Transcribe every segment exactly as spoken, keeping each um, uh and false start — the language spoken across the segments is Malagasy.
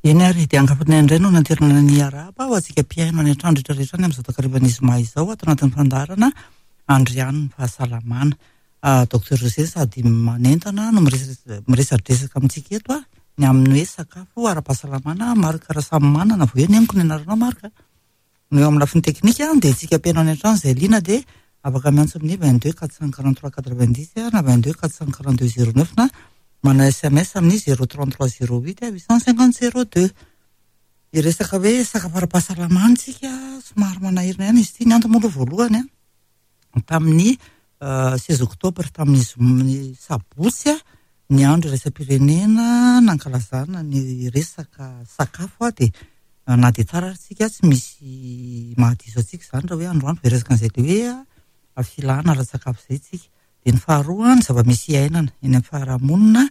Eny ary, dia ankafanay indray no nanterina ny arahaba ho antsika mpihaino any an-trano rehetra rehetra any amin'izao takarivan'ny zoma izao ato anatin'ny fandaharana Andrianin'ny fahasalamana. Docteur José sady manentana no miresadresaka amintsika eto ny amin'ny hoe sakafo ara-pahasalamana. Marc Rasamimanana, vao eny amiko ny anaranao Marc. No eo amin'ny lafiny teknika dia tsika mpihaino any an-trano izay liana dia afaka miantso amin'ny vingt-deux quatre cent quarante-trois quatre-vingt-dix na vingt-deux quatre cent quarante-deux zéro neuf na manao S M S amin'ny zéro trente-trois zéro huit huit cent cinquante zéro deux. Hiresaka hoe sakafo ara-pahasalamana tsika, somary manahirana ihany izy ity. Ny antony moa aloha voalohany a, tamin'ny seize octobre, tamin'ny sabotsy a, ny andro iraisam-pirenena nankalazana ny resaka sakafo a, dia na dia tsara ary tsika tsy misy mahadiso antsika izany raha hoe androany vao hiresaka an'izay le hoe filana ara-tsakafo izay tsika. Dia ny faharoa, ny zava-misy iainana eny amin'ny fiarahamonina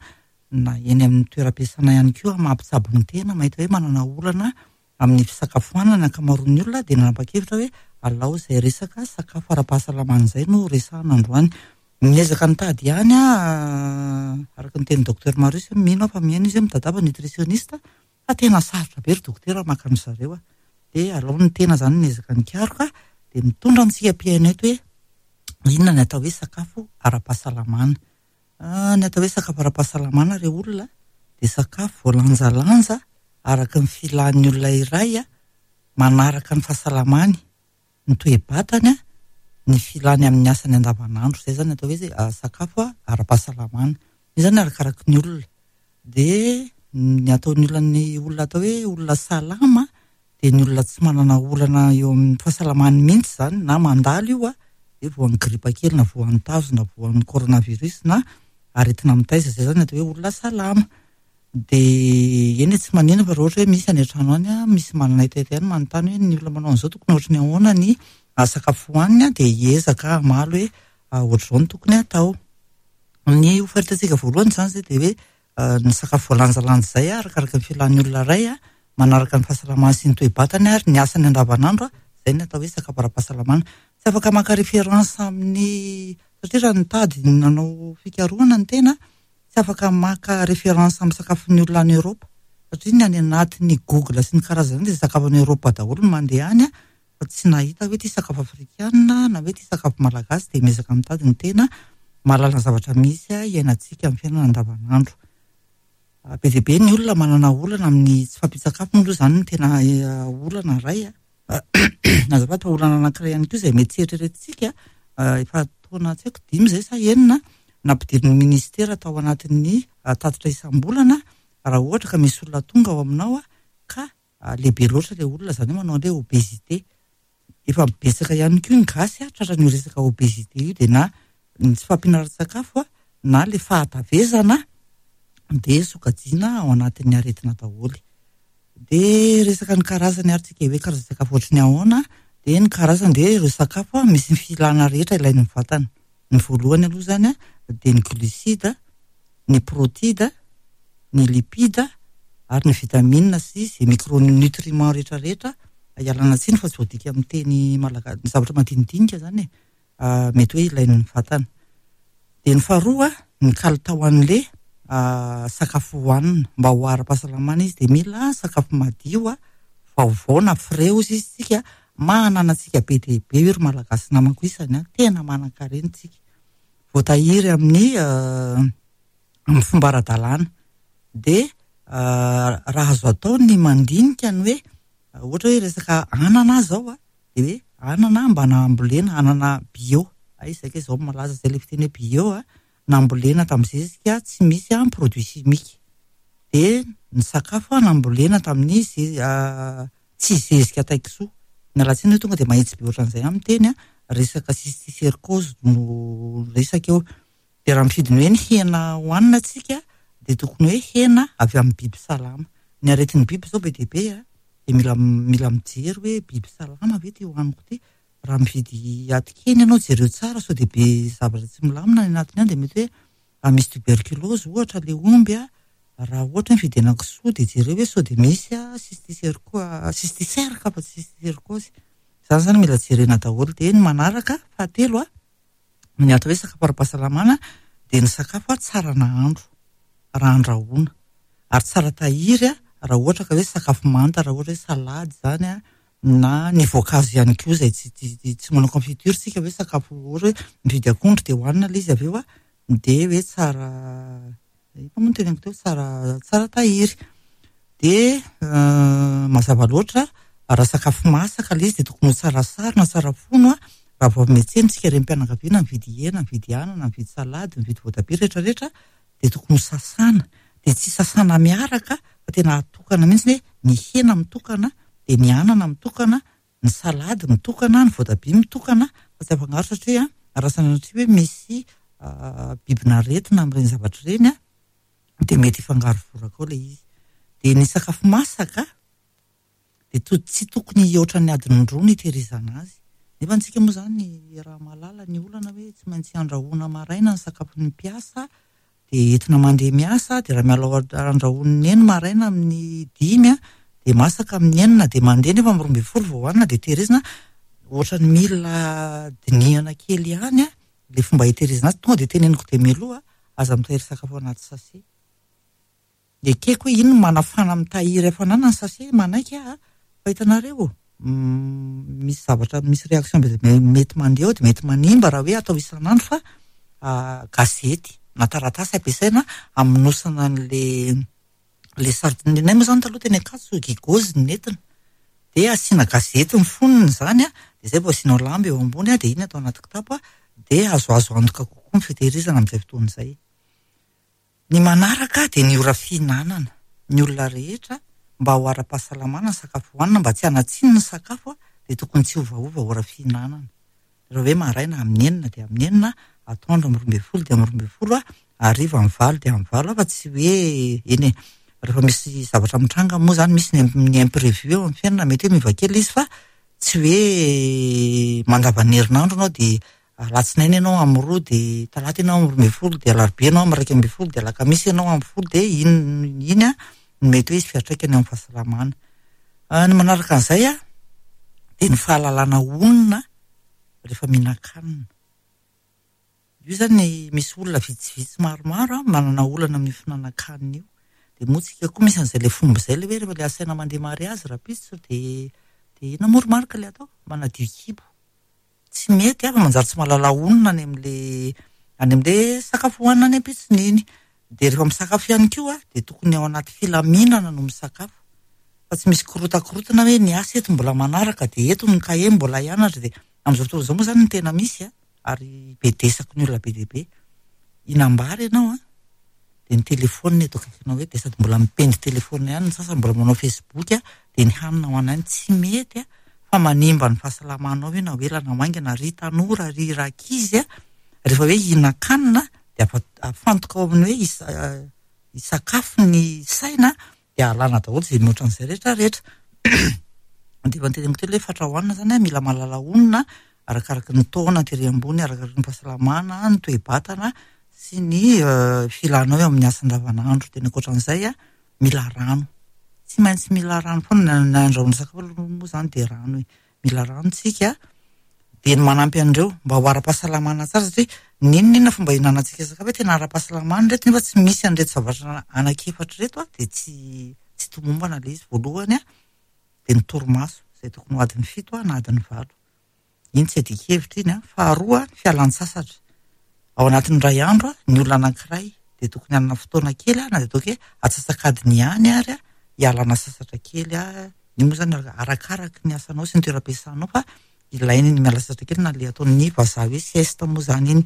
na eny amin'ny toeram-piasana ihany koa, mampitsabo ny tena, mahita hoe manana olana amin'ny fisakafoanana ny ankamaroan'ny olona, dia nanapa-kevitra hoe alao izay resaka sakafo ara-pahasalamana izay no resahana androany. Miezaka nitady ihany a, araka ny tenin'ny docteur Marius, mino aho fa mihaino izy hoe mitadiava nutritionniste, fa tena sarotra be ry docteur maka an-dry zareo a. Dia alao ny tena izany miezaka nikaroka, dia mitondra antsika mpihaino eto hoe inona ny atao hoe sakafo ara-pahasalamana. Ny atao hoe sakafo ara-pahasalamana re olona dia sakafo voalanjalanja araka ny filan'ny olona iray a, manaraka ny fahasalamany, ny toe-batany a, ny filany amin'ny asany andavanandro. Izay izany atao hoe sakafo ara-pahasalamana. Io izany arakaraky ny olona. Dia ny ataon'ny olona, ny olona atao hoe olona salama dia ny olona tsy manana olana eo amin'ny fahasalamany mihitsy izany, na mandalo io a, dia voan'ny gripa kely na voan'ny tazo na voan'ny coronavirus na aretina mitaiza. Izay izany atao hoe olona salama. Dia eny tsy manino fa raha ohatra hoe misy any an-trano any a, misy manana hetaheta ihany manontany hoe ny olona manao an'izao tokony ohatry ny ahoana ny sakafo hohaniny a, dia hiezaka hamaly hoe ohatr'izao no tokony hatao. Ny ho faritantsika voalohany izany izay dia hoe ny sakafo voalanjalanja izay arakaraka ny filan'ny olona iray a, manaraka ny fahasalamany sy ny toe-batany ary ny asany andavanandro a, izay ny atao hoe sakafo ara-pahasalamana. Tsy afaka maka référence amin'ny, satria raha nitady nanao fikarohana ny tena, tsy afaka maka référence amin'ny sakafon'ny olona any Eoropa, satria ny any anatin'ny Google sy ny karazany dia sakafo any Eoropa daholo no mandeha any a, fa tsy nahita hoe ty sakafo afrikana na hoe ty sakafo malagasy. Dia miezaka mitady ny tena mahalala ny zavatra misy a iainantsika amin'ny fiainana andavanandro. Be dia be ny olona manana olana amin'ny tsy fahampian-tsakafo moa aloha izany no tena olana iray a. Azafady fa olana anankiray ihany koa izay mety tsy eritreretintsika, efa taona tsy haiko dimy izay sa enina, nampidirin'ny ministera tao anatin'ny tatitra isam-bolana, raha ohatra ka misy olona tonga ao aminao a, ka lehibe loatra ilay olona, izany hoe manao an'ilay obésité. Efa betsaka ihany koa ny gasy a, tratran'io resaka obésité io, dia na ny tsy fahampiana ara-tsakafo a, na ilay fahatavezana dia sokajiana ao anatin'ny aretina daholo. Dia resaka ny karazany ary tsika hoe karazan-tsakafo ohatry ny ahoana, dia ny karazany dia ireo sakafo a, misy ny filana rehetra ilain'ny vatana. Ny voalohany aloha izany a, dia ny glucide, ny protide, ny lipide ary ny vitamine sy izay micronutriments rehetrarehetra. Ialana tsiny fa tsy voadika amin'ny teny malagasy, ny zavatra madinidinika izany e, mety hoe ilain'ny vatana. Dia ny faharoa, ny kalitao an'ilay sakafo hohanina mba ho ara-pahasalamana izy dia mila sakafo madio a, vaovao na frais ozy izy tsika. Manana antsika be dia be io ry malagasy namako isany a, tena manan-karena tsika, voatahiry amin'ny amin'ny fomba ara-dalàna. Dia raha azo atao ny mandinika ny hoe ohatra hoe resaka anana zao a, dia hoe anana mba nambolena, anana bio, ay izay ka izao malaza izay ilay fiteny hoe bio a, nambolena tamin'ny zezika tsy misy a produit chimique. Dia ny sakafo a nambolena tamin'ny ze-, tsy zezika taikisoa. Miala tsiny hoe tonga dia mahitsy be ohatran'izay amin'ny teny a, resaka cysticercose no resaka eo. Dia raha mifidy ny hoe ny hena hohanina tsika dia tokony hoe hena avy amin'ny biby salama. Ny aretin'ny biby izao be dia be a, dia mila, mila mijery hoe biby salama ve ty hohaniko ty. Raha mividy atikeny ianao jereo tsara sao dia be zavatra tsy milamina any anatiny any, dia mety hoe misy tuberculose ohatra ilay omby a. Raha ohatra hoe mividy henakisoa dia jereo hoe sao dia misy a cysticerco-, cysticerque fa tsy cysticercose. Izany izany mila jerena daholo. Dia ny manaraka fahatelo a, ny atao hoe sakafo ara-pahasalamana dia ny sakafo a tsara nahandro raha andrahoana ary tsara tahiry a raha ohatra ka hoe sakafo manta, raha ohatra hoe salady izany a, na ny voankazo ihany koa izay tsy tsy tsy manao confiture tsika hoe sakafo ohatra hoe mividy akondro dia hohanina ilay izy avy eo a, dia hoe tsara, inona moa no teneniko teo, tsara tsara tahiry. Dia mazava loatra raha sakafo masaka ilay izy dia tokony ho tsara sarona, tsara fono a, raha vao avy miantsena tsika renim-pianakaviana mividy hena, mividy anana, mividy salady, mividy voatabia rehetrarehetra dia tokony ho sasana. Dia tsy sasana miaraka fa tena atokana mihitsy hoe ny hena mitokana, dia ny anana mitokana, ny salady mitokana, ny voatabia mitokana fa tsy afangaro satria raha sanatria hoe misy bibin'aretina amin'ireny zavatra ireny a, dia mety hifangaro voraka ao ilay izy. Dia ny sakafo masaka dia to- tsy tokony hihoatra ny adiny roa ny hitehirizana azy. Nefa antsika moa izany raha mahalala ny olana hoe tsy maintsy andrahoana maraina ny sakafon'ny mpiasa, dia entina mandeha miasa, dia raha miala ao andrahoan'ny neny maraina amin'ny dimy a, dia masaka amin'ny enina, dia mandeha nefa amin'ny roa ambin'ny folo vao hohanina, dia tehirizina. Ohatran'ny mila dinihana kely ihany a, ilay fomba hitehirizana azy. Tonga dia teneniko dia mialoha, aza mitahiry sakafo anaty sachet. Ekeko hoe ino no manafana mitahiry hafanana ny sachet, manaiky aho, fa hitanareo, misy zavatra, misy réaction be dia be mety mandeha ao dia mety manimba raha hoe atao isan'andro fa gazety na taratasy ampiasaina hamonosana an'le le sardine. Ny anay moa izany taloha teny Ankatso gigozy no nentina. Dia asiana gazety ny fonony izany a, dia izay vao asianao lamba eo ambony a, dia iny atao anaty kitapo a, dia azoazo antoka kokoa ny fitehirizana amin'izay fotoana izay. Ny manaraka dia ny ora fihinanana. Ny olona rehetra mba ho ara-pahasalamana ny sakafo hohanina, mba tsy hanatsiny ny sakafo a, dia tokony tsy hiovaova ora fihinanana. Raha hoe maraina amin'ny enina dia amin'ny enina, atoandro amin'ny roa ambin'ny folo dia amin'ny roa ambin'ny folo, hariva amin'ny valo dia amin'ny valo, fa tsy hoe eny e, rehefa misy zavatra mitranga moa izany, misy ny ny imprévu eo amin'ny fiainana, mety hoe miova kely izy fa tsy hoe mandavan'ny herinandro anao dia alatsinainy ianao amin'ny roa, dia talata ianao amin'ny roa ambin'ny folo, dia alarobia ianao amin'ny iraika ambin'ny folo, dia alakamisy ianao amin'ny folo, dia iny iny a no mety hoe hisy fiantraikany amin'ny fahasalamana. Ny manaraka an'izay a, dia ny fahalalana honina rehefa mihinan-kanina. Io izany misy olona vitsivitsy maromaro a manana olana amin'ny fihinanan-kanina io. Dia moa tsika koa misy an'izay ilay fomba izay ilay hoe rehefa ilay asaina mandeha mariazy rahampitso dia dia inona moa ry Marc ilay atao? Manadio kibo. Tsy mety a, fa manjary tsy mahalala honina any amin'ilay any amin'ilay sakafo hohanina any ampitsony iny. Dia rehefa misakafo ihany koa dia tokony ao anaty filaminana no misakafo. Fa tsy misy korotakorontana hoe ny asa eto mbola manaraka dia eto ny kahie mbola hianatra dia amin'izao fotoana izao moa izany no tena misy a, ary bedesako ny olona be dia be. Hinam-bary ianao a, dia ny telefônina eto akaikinao hoe dia sady mbola mipendy telefônina ihany ny sasany mbola manao Facebook a, dia ny hanina ho anay tsy mety a, fa manimba ny fahasalamanao io na ho ela na ho haingana, ry tanora, ry rankizy a, rehefa hoe hihinan-kanina dia afa- afantoka ao amin'ny hoe hisa- hisakafo ny saina dia alana daholo izay mihoatra an'izay rehetrarehetra. Dia efa noteneniko teo ilay fatra hohanina izany a, mila mahalala honina arakaraky ny taona tery ambony, arakaraky ny fahasalamana, ny toe-batana sy ny filanao eo amin'ny asa andavanandro. Dia ny ankoatran'izay a, mila rano. Tsy maintsy mila rano foana na andrahoana sakafo aloha moa izany dia rano e. Mila rano tsika. Dia ny manampy an'ireo mba ho ara-pahasalamana tsara satria n'inon'inona fomba hihinanantsika sakafo hoe tena ara-pahasalamana ireto nefa tsy misy an'ireto zavatra anankiefatra ireto a, dia tsy tsy tomombana ilay izy. Voalohany a, dia ny torimaso izay tokony ho adiny fito a na adiny valo. Iny tsy adin-kevitra iny a. Faharoa, ny fialan-tsasatra. Ao anatin'ny iray andro a, ny olona anankiray dia tokony hanana fotoana kely a, na dia ataoko hoe atsasak'adiny ihany ary a, hialana sasatra kely a. Iny moa izany arakaraky ny asanao sy ny toeram-piasanao fa ilaina ny miala sasatra kely na ilay ataon'ny vazaha hoe sieste moa izany iny.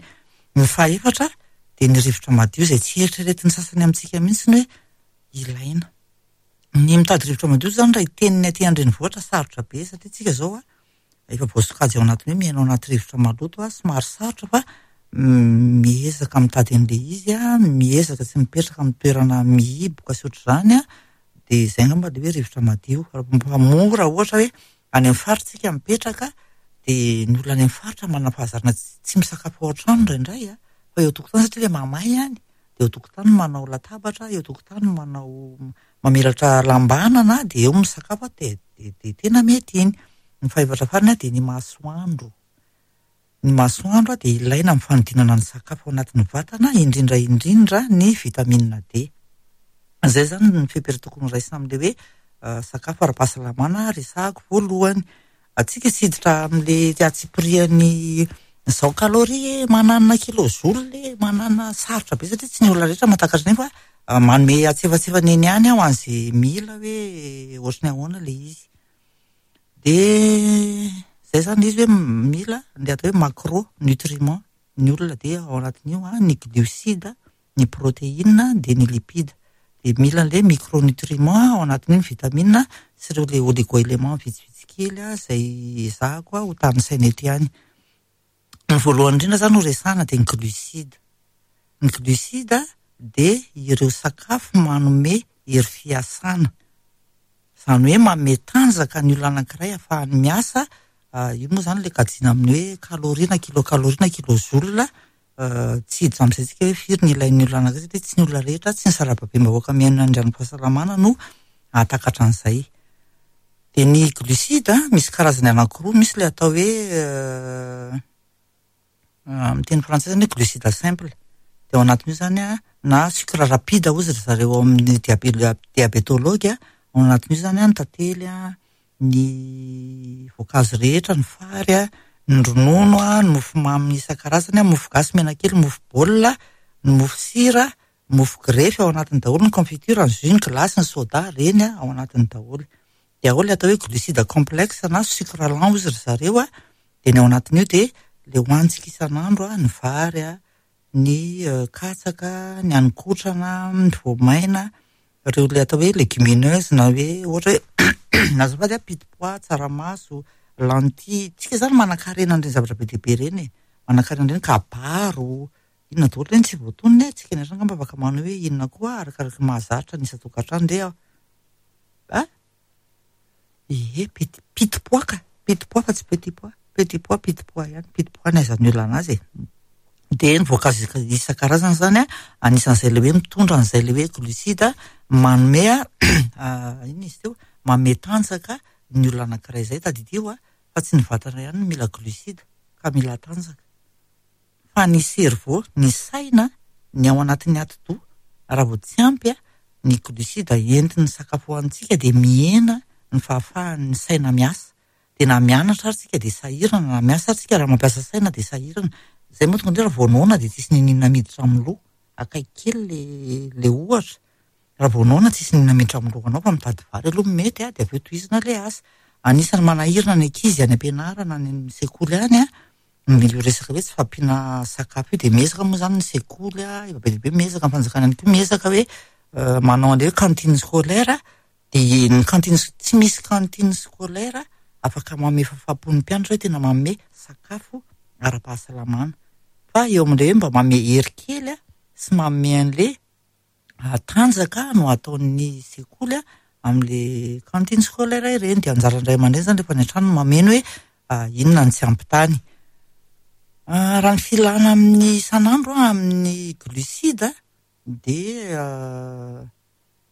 Ny fahaefatra dia ny rivotra madio izay tsy eritreretin'ny sasany amintsika mihitsy ny hoe ilaina. Ny mitady rivotra madio izany raha hiteniny aty an-drenivohitra sarotra be satria tsika izao a, efa voasokajy ao anatin'ny hoe miaina ao anaty rivotra maloto a, somary sarotra fa miezaka mitady an'ilay izy a, miezaka tsy mipetraka amin'ny toerana mihiboka sy ohatr'izany a, dia izay angamba ilay hoe rivotra madio. Fa mora ohatra hoe any amin'ny faritra tsika mipetraka dia ny olona any amin'ny faritra manana fahazarana tsy misakafo ao an-trano indraindray a, fa eo an-tokotany satria ilay mamay any, dia eo an-tokotany manao latabatra, eo an-tokotany manao mamelatra lambanana dia eo misakafo a, dia dia tena mety iny. Ny fahefatra farany a dia ny masoandro. Ny masoandro a dia ilaina amin'ny fanodinana ny sakafo ao anatin'ny vatana, indrindra indrindra ny vitamine D. Izay izany ny fepetra tokony ho raisina amin'ilay hoe sakafo ara-pahasalamana resahako voalohany. Antsika tsy hiditra amin'ilay antsipirian'ny izao kaloria e, mananona kilojoule e, mananona sarotra be satria tsy ny olona rehetra mahatakatra an'iny fa manome antsefatsefany eny ihany aho an'izay mila hoe ohatry ny ahoana ilay izy. Dia izay izany ilay izy hoe mila ilay atao hoe macro nutriment ny olona dia ao anatin'io ny glucide, ny protéine dia ny lipide. Dia mila an'ilay micronutriment ao anatin'io ny vitamine sy ireo ilay oligo-élément vitsivitsy kely izay ezahako ho tanisaina eto ihany. Ny voalohany indrindra izany no resahana dia ny glucide. Ny glucide dia ireo sakafo manome hery fiasana. Izany hoe manome tanjaka ny olona anankiray ahafahany miasa. Io moa izany ilay kajiana amin'ny hoe kaloria na kilokaloria na kilojoule. Tsy hiditra amin'izay tsika hoe firy ny ilain'ny olona anankiray satria tsy ny olona rehetra, tsy ny sarababem-bahoaka miaina ny andrianim-pahasalamana no hahatakatra an'izay. Dia ny glucide misy karazany anankiroa, misy ilay atao hoe amin'ny teny frantsay izany hoe glucide simple. Dia ao anatin'io izany na sucre rapide hozy ry zareo ao amin'ny diabétologue, ao anatin'io izany ny tantely, ny voankazo rehetra, ny fary, ny ronono, ny mofomamy isan-karazany, mofo gasy menakely, mofo baolina, ny mofo sira, mofo grefy ao anatiny daholo, ny confiture, ny jus, ny glace, ny soda, ireny ao anatiny daholo. Dia ao ilay atao hoe glucide complexe na sucre lent hozy ry zareo, dia ny ao anatin'io dia ilay hohanintsika isan'andro, ny vary, ny katsaka, ny haninkotrana, ny voamaina, ireo ilay atao hoe légumineuse na hoe ohatra hoe azafady a, pitipois, tsaramaso, lentille. Tsika izany manan-karena an'ireny zavatra be dia be ireny e, manan-karena an'ireny kabaro, inona daholo ireny tsy voatonona e, tsika ny angamba afaka manao hoe inona koa arakaraka ny mahazatra ny isan-tokantrano ndeha a ie piti pitipois ka, pitipois fa tsy petit pois, petit pois, pitipois ihany, pitipois ny ahaizan'ny olona anazy e. Dia ny voankazo isan-karazany izany a, anisan'izay ilay hoe mitondra an'izay ilay hoe glucide manome inona izy teo, manome tanjaka ny olona anankiray izay. Tadidio a, fa tsy ny vatana ihany no mila glucide ka mila tanjaka, fa ny cerveau, ny saina, ny ao anatin'ny atidoha, raha vao tsy ampy ny glucide entin'ny sakafo hohanintsika dia mihena ny fahafahan'ny saina miasa. Dia na mianatra ary tsika dia sahirana, na miasa ary tsika raha mampiasa saina dia sahirana. Izay moa tonga indrindra raha vao noana dia tsisy n'inon'inona miditra amin'ny loha, akaiky kely le le ohatra. Raha vao noana tsisy n'inona miditra amin'ny lohanao fa mitady vary aloha mety a, dia avy eo tohizana ilay asa. Anisan'ny manahirana ny ankizy any am-pianarana, any amin'ny sekoly any a, io resaka hoe tsy fahampiana sakafo io dia miezaka moa izany ny sekoly a, efa be dia be miezaka, ny fanjakana ihany koa miezaka hoe manao an'ilay hoe cantine scolaire. Dia ny cantine, tsy misy cantine scolaire afaka manome fahafaham-pon'ny mpianatra hoe tena manome sakafo ara-pahasalamana, fa eo amin'ilay hoe mba manome hery kely sy manome an'ilay tanjaka no ataon'ny sekoly amin'ilay cantine scolaire ireny. Dia anjaran'ny ray aman-dreny izany rehefa any an-trano no mameno hoe inona no tsy ampy tany. Raha ny filana amin'ny isan'andro amin'ny glucide dia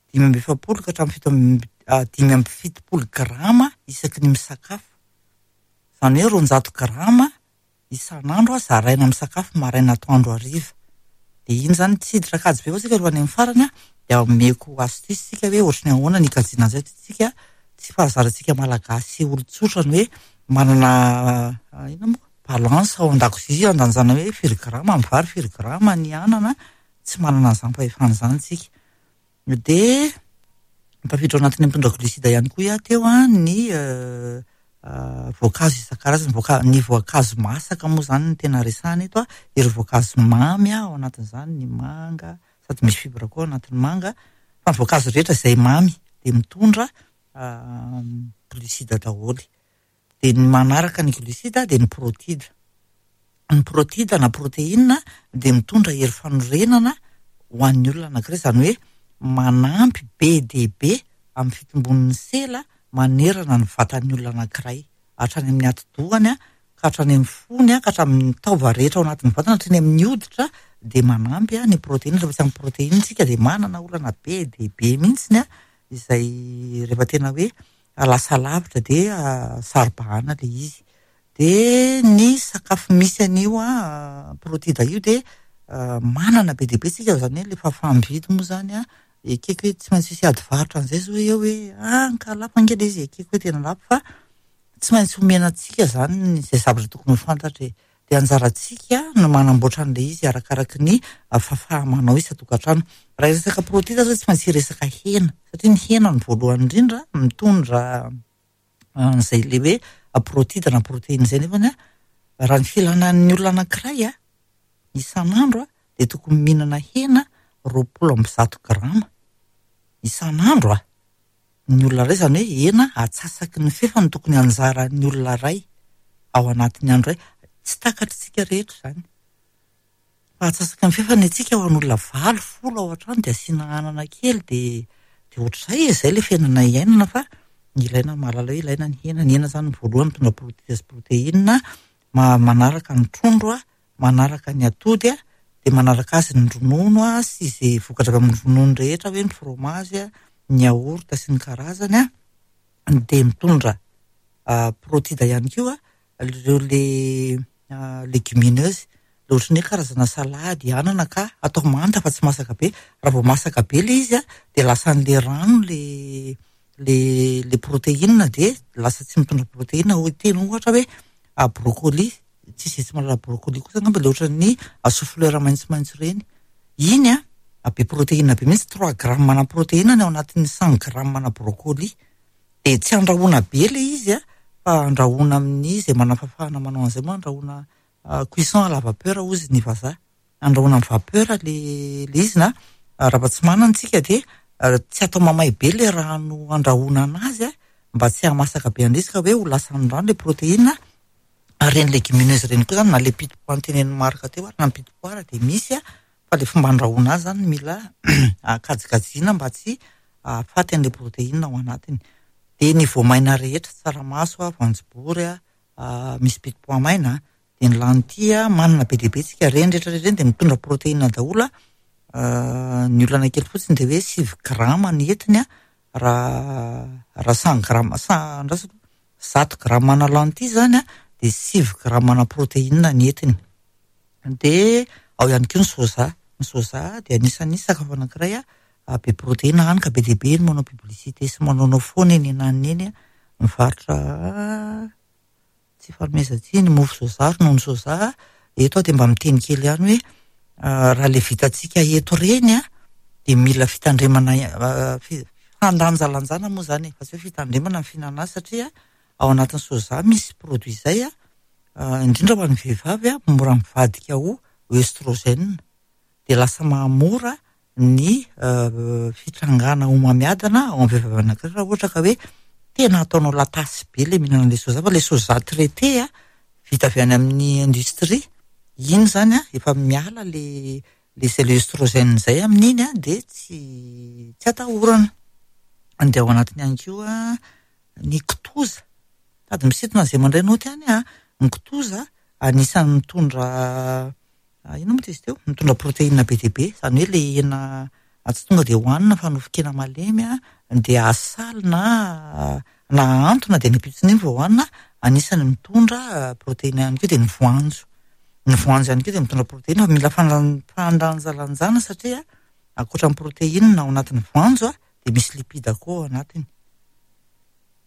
dimy amby efapolo ka hatramin'ny fito amby dimy amby fitopolo grama isaky ny misakafo. Izany hoe roanjato grama isan'andro zaraina amin'ny sakafo maraina, atoandro, hariva. Dia iny izany tsy hiditra kajy be fa tsika rehefa any amin'ny farany a, dia omeko astuce tsika hoe ohatry ny ahoana ny ikajiana an'izay tsika. Tsy fahazarantsika malagasy olon-tsotra ny hoe manana inona moa balance ao an-dakozia andanjana hoe firy grama ny vary, firy grama ny anana, tsy manana an'izany fahefana izany tsika. Dia tafiditra ao anatin'ny mitondra glucide ihany koa aho teo a, ny voankazo isan-karazany, voanka- ny voankazo masaka moa izany no tena resahana eto a, ireo voankazo mamy ao anatin'izany ny manga, sady misy fibre koa ao anatin'ny manga, fa ny voankazo rehetra izay mamy dia mitondra glucide daholo. Dia ny manaraka ny glucide dia ny protide. Ny protide na protéine dia mitondra hery fanorenana ho an'ny olona anankiray, izany hoe manampy be dia be amin'ny fitombon'ny sela manerana ny vatan'ny olona anankiray, hatrany amin'ny atidohany ka hatrany amin'ny fony, ka hatramin'ny taova rehetra ao anatin'ny vatana, hatrany amin'ny hoditra dia manampy ny protéine. Rehefa tsy ampy protéine tsika dia manana olana be dia be mihitsiny izay rehefa tena hoe lasa lavitra dia saro-bahana ilay izy. Dia ny sakafo misy an'io protide io dia manana be dia be tsika, izany hoe ilay fahafaha-mividy moa izany Ekeko hoe tsy maintsy hisy ady varotra an'izay zao eo hoe ah ka lafo ange ilay izy, ekeko hoe tena lafo fa tsy maintsy omena antsika izany izay zavatra tokony ho fantatra e. Dia anjarantsika no manamboatra an'ilay izy arakaraky ny fahafaha-manao isan-tokantrano. Raha hiresaka protida zao tsy maintsy hiresaka hena, satria ny hena no voalohany indrindra mitondra an'izay le hoe protida na protéine izay nefany a, raha ny filanan'ny olona anankiray a isan'andro a dia tokony mihinana hena roapolo amby zato grama isan'andro a. Ny olona iray izany hoe hena atsasaky ny fefany tokony anjaran'ny olona iray ao anatin'ny andro iray. Tsy takatritsika rehetra izany. Fa atsasaky ny fefany antsika ho an'olona valo, folo ao an-trano dia asiana anana kely dia dia ohatr'izay e, izay ilay fiainana iainana fa ilaina mahalala hoe ilaina ny hena. Ny hena izany voalohany mitondra protida sy protéine, ma- manaraka ny trondro a, manaraka ny atody a, dia manaraka azy ny ronono a sy izay vokatra avy amin'ny ronono rehetra hoe ny fromage a, ny yaourt sy ny karazany a, dia mitondra protida ihany koa ireo le légumineuse, le ohatran'ny hoe karazana salady anana ka atao manta fa tsy masaka be. Raha vao masaka be le izy a dia lasa an'le rano le le le protéine dia lasa tsy mitondra protéine. Teny ohatra hoe brocoli, tsisy tsy mahalala brocoli kosa angamba, le ohatran'ny chou-fleur maitsomaitso ireny. Iny a be protéine be mihitsy, trois grammes na protéine ny ao anatin'ny cent grammes na brocoli. Dia tsy andrahoana be le izy a, fa andrahoana amin'ny izay manam-pahafahana manao an'izay moa andrahoana cuisson à la vapeur hozy ny vazaha. Andrahoana amin'ny vapeur le le izy na raha mba tsy manana isika dia tsy atao mamay be le rano andrahoana anazy a, mba tsy hahamasaka be an'izy ka hoe ho lasa ny rano le protéine. Ary ireny légumineuse ireny koa zany na le petit pois notenenin'i Marc teo ary na ny petit pois dia misy a, fa le fomba andrahoana azy zany mila kajikajiana mba tsy hahafaty an'le protéine ao anatiny. Dia ny voamaina rehetra, tsaramaso a, voanjobory a, misy petit pois maina, dia ny lentille manana be dia be tsika, ireny rehetra rehetra ireny dia mitondra protéine daholo a. Ny olana kely fotsiny dia hoe sivy grama ny entiny a, raha raha cent grammes, cent andrasako zato grama na lentille zany a dia sivy grama na protéine ny entiny. Dia ao ihany koa ny soja. Ny soja dia anisan'ny sakafo anankiray a be protéine, hany ka be dia be ny manao publicité sy manaonao foana eny ananiny eny a, mivarotra tsy fanomezan-tsiny mofo soja, ronono soja. Eto aho dia mba miteny kely ihany hoe raha le vitantsika eto ireny a dia mila fitandremana, fandanjalanjana moa zany e, fa tsy hoe fitandremana ny fihinanana azy satria ao anatin'ny soja misy produit izay a, indrindra ho an'ny vehivavy a, mora mivadika ho œstrogène. Dia lasa mahamora ny fitrangana homamiadana ao amin'ny vehivavy anankiray raha ohatra ka hoe tena ataonao latasy be le mihinana an'le soja, fa le soja traité a vita avy any amin'ny industrie iny zany a efa miala le le izay le œstrogène izay amin'iny a dia tsy tsy atahorana. Dia ao anatiny ihany koa ny kitoza, sady misintona izay mandray naoty ihany a, ny kitoza anisan'ny mitondra inona moa izy teo, mitondra protéine be dia be, izany hoe le hena tsy tonga dia hohanina fa nofon-kena malemy a dia asaly na na ahantona dia ny ampitsony iny vao hohanina, anisan'ny mitondra protéine ihany koa. Dia ny voanjo, ny voanjo ihany koa dia mitondra protéine fa mila fandanjalanjana satria ankoatra ny protéine ao anatin'ny voanjo a dia misy lipide koa ao anatiny.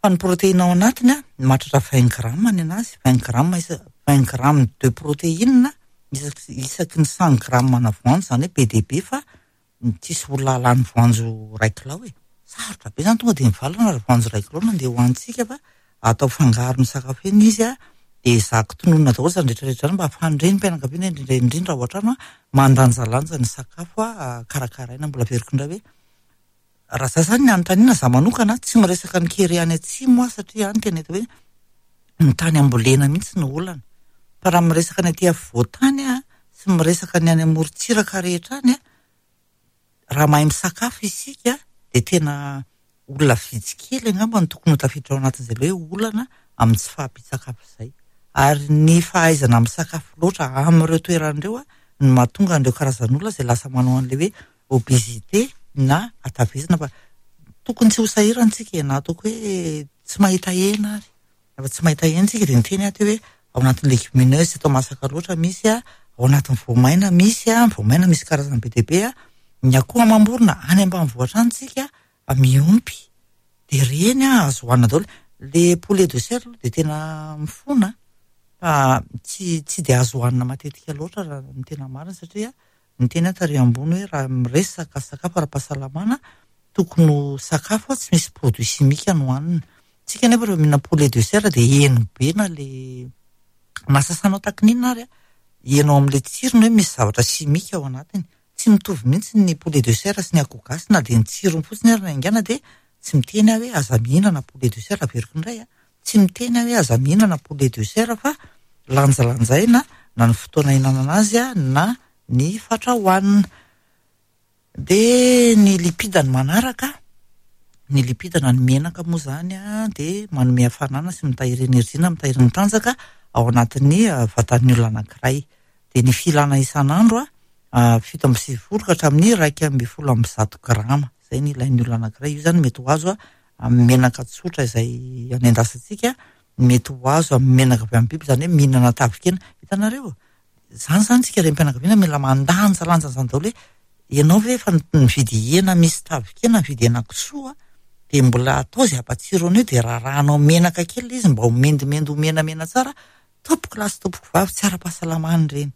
Fa ny protéine ao anatiny a mahatratra vingt grammes ny anazy, vingt grammes isa vingt grammes de protéine isaky isaky ny cent grammes na voanjo, izany hoe be dia be fa tsisy olona halany voanjo iray kilao e. Sarotra be zany tonga dia mivalona raha voanjo iray kilao no andeha hohanintsika fa atao fangarony sakafo eny izy a, dia ezahako tononina daholo izany rehetra rehetra izany mba ahafahan'ny renim-pianakaviana indrindra indrindra ao an-trano a mandanjalanja ny sakafo a karakaraina. Mbola averiko indray hoe raha za zany ny anontaniana za manokana tsy miresaka ny kere any atsimo aho satria any tena hita hoe ny tany ambolena mihitsy no olana, fa raha miresaka ny aty afovoan-tany a sy miresaka ny any amorontsiraka rehetra any a, raha mahay misakafo isika dia tena olona vitsy kely angamba no tokony ho tafiditra ao anatin'izay le hoe olana amin'ny tsy fahampian-tsakafo izay. Ary ny fahaizana misakafo loatra amin'ireo toerana ireo a no mahatonga an'ireo karazan'olona izay lasa manao an'ilay hoe obésité na hatavezana, fa tokony tsy ho sahirana isika e, na ataoko hoe tsy mahita hena ary. Rehefa tsy mahita hena isika dia niteny aho teo hoe ao anatin'ny légumineuse tsy atao masaka loatra misy a, ao anatin'ny voamaina misy a, voamaina misy karazany be dia be a, Ny akoho amam-borona any ambanivohitra any tsika miompy. Dia ireny azo hohanina daholo. Le poulet de chair aloha dia tena mifona fa tsy tsy dia azo hohanina matetika loatra raha ny tena marina, satria ny teny tary ambony hoe raha miresaka sakafo ara-pahasalamana tokony ho sakafo tsy misy produit chimique no hohanina. Tsika nefa rehefa mihinana poulet de chair dia heno be na le na sasanao takininona ary heno amin'ilay tsirony hoe misy zavatra chimique ao anatiny. Tsy mitovy mihitsy ny poulet de chair sy ny akoho gasy na dia ny tsirony fotsiny ary na haingana. Dia tsy miteny aho hoe aza mihinana poulet de chair, averiko indray a, tsy miteny aho hoe aza mihinana poulet de chair fa lanjalanjaina na ny fotoana hihinanana azy a na ny fatra hohanina. Dia ny lipida ny manaraka, ny lipida na ny menaka moa zany a dia manome hafanana sy mitahiry enerjia na mitahiry ny tanjaka ao anatin'ny vatan'ny olona anankiray. Dia ny filana isan'andro a fito amby sivifolo ka hatramin'ny iraika amby folo amby zato grama, izay ny ilain'ny olona anankiray. Io zany mety ho azo amin'ny menaka tsotra izay anendasantsika, mety ho azo amin'ny menaka avy amin'ny biby, izany hoe mihinana tavin-kena. Hitanareo, zany zany tsika renim-pianakaviana mila mandanjalanja an'izany daholo hoe ianao ve efa nividy hena misy tavin-kena, nividy hena kisoa, dia mbola atao izay hampatsiro an'io, dia rarahanao menaka kely ilay izy mba ho mendimendy ho menamena tsara. Tompoko lahy sy tompoko vavy, tsy ara-pahasalamana ireny.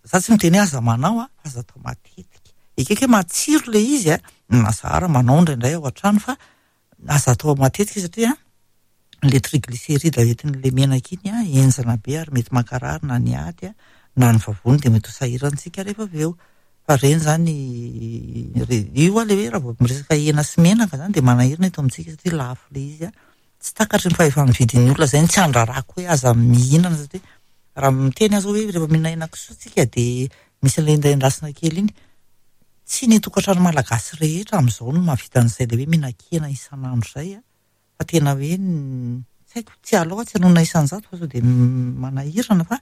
Za tsy miteny hoe aza manao a, fa aza atao matetika. Ekeko hoe matsiro ilay izy a, na zara manao indraindray ao an-trano, fa aza atao matetika satria le triglycéride entin'ilay menaka iny a henjana be ary mety mankarary na ny aty a na ny vavony, dia mety ho sahirantsika rehefa avy eo. Fa ireny zany io a le hoe raha vao miresaka hena sy menaka zany dia manahirana eto amintsika satria lafo ilay izy a. Tsy takatry ny fahefa-mividin'ny olona izay, tsy andrarako hoe aza mihinana, satria raha miteny aho zao hoe rehefa mihinana hena kisoa tsika dia misy an'ilay endaendasina kely iny. Tsy ny tokantrano malagasy rehetra amin'izao no mahavita an'izay le hoe mihinan-kena isan'andro izay a, fa tena hoe tsy haiko, tsy alao tsy hanonona isan-jato fa sao dia manahirana, fa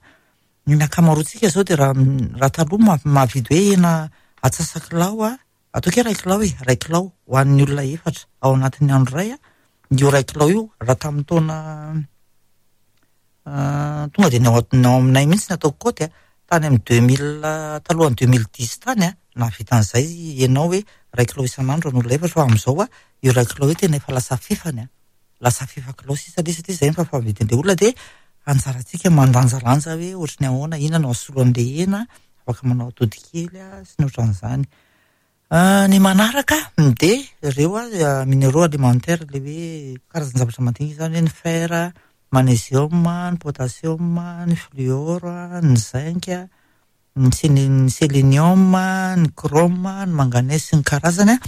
ny ankamaroantsika zao dia raha raha taloha mahavidy hoe hena atsasakilao a, ataoko hoe iray kilao e, iray kilao ho an'ny olona efatra ao anatin'ny andro iray a, io iray kilao io raha tamin'ny taona tonga dia ny ao aminay mihitsy ny ataoko kaoty a, tany amin'ny deux mille, talohan'ny deux mille dix tany a, nahavita an'izay ianao hoe iray kilao isan'andro ny olona efatra, fa amin'izao a io iray kilao io tena efa lasa fefany a, lasa fefa kilao sisa ilay satria izay ny fahafaha-mividin'ilay olona. Dia anjarantsika mandanjalanja hoe ohatry ny ahoana, inona no asolo an'ilay hena, afaka manao atody kely a sy ny ohatran'izany. Ny manaraka dia ireo a minéraux alimentaires, ilay hoe karazan-javatra madinika izany hoe ny fer, magnésium, ny potassium, ny fluor, ny zinc, ny sélénium, ny chrome, ny manganèse sy ny karazany a.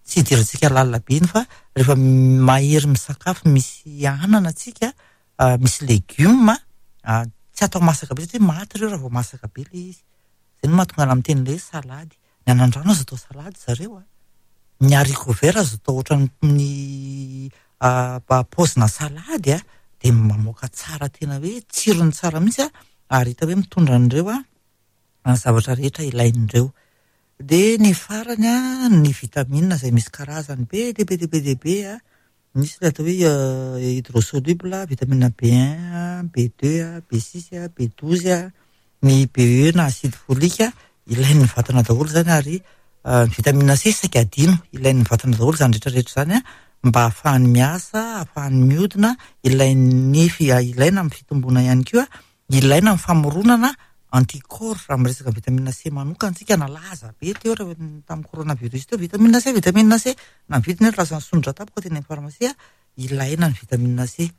Tsy idirantsika lalina be iny fa rehefa mahery misakafo misy anana tsika, misy legioma, tsy atao masaka be satria maty ireo raha vao masaka be ilay izy. Izay no mahatonga ana miteny ilay hoe salady. Ny anandrano azo atao salady zareo a. Ny haricot vert azo atao ohatran'ny paozina salady a, dia mamoaka tsara tena hoe tsirony tsara mihitsy a, ary hita hoe mitondra an'ireo a zavatra rehetra ilain'ireo. Dia ny farany a, ny vitamine izay misy karazany be dia be dia be dia be a, misy ilay atao hoe hydrosoluble, vitamine B un, B deux, B six, B douze, ny B E na acide folique, ilain'ny vatana daholo izany, ary ny vitamine C saika adino, ilain'ny vatana daholo izany rehetrarehetra izany a, mba ahafahany miasa, ahafahany miodina, ilain'ny ilaina amin'ny fitomboana ihany koa, ilaina amin'ny famoronana anticorps. Raha miresaka vitamine C manokana tsika, nalaza be teo raha tamin'ny coronavirus teo, vitamine C, vitamine C, na ny vidiny ary lasa nisondrotra tampoka teny amin'ny farmasia. Ilaina ny vitamine C.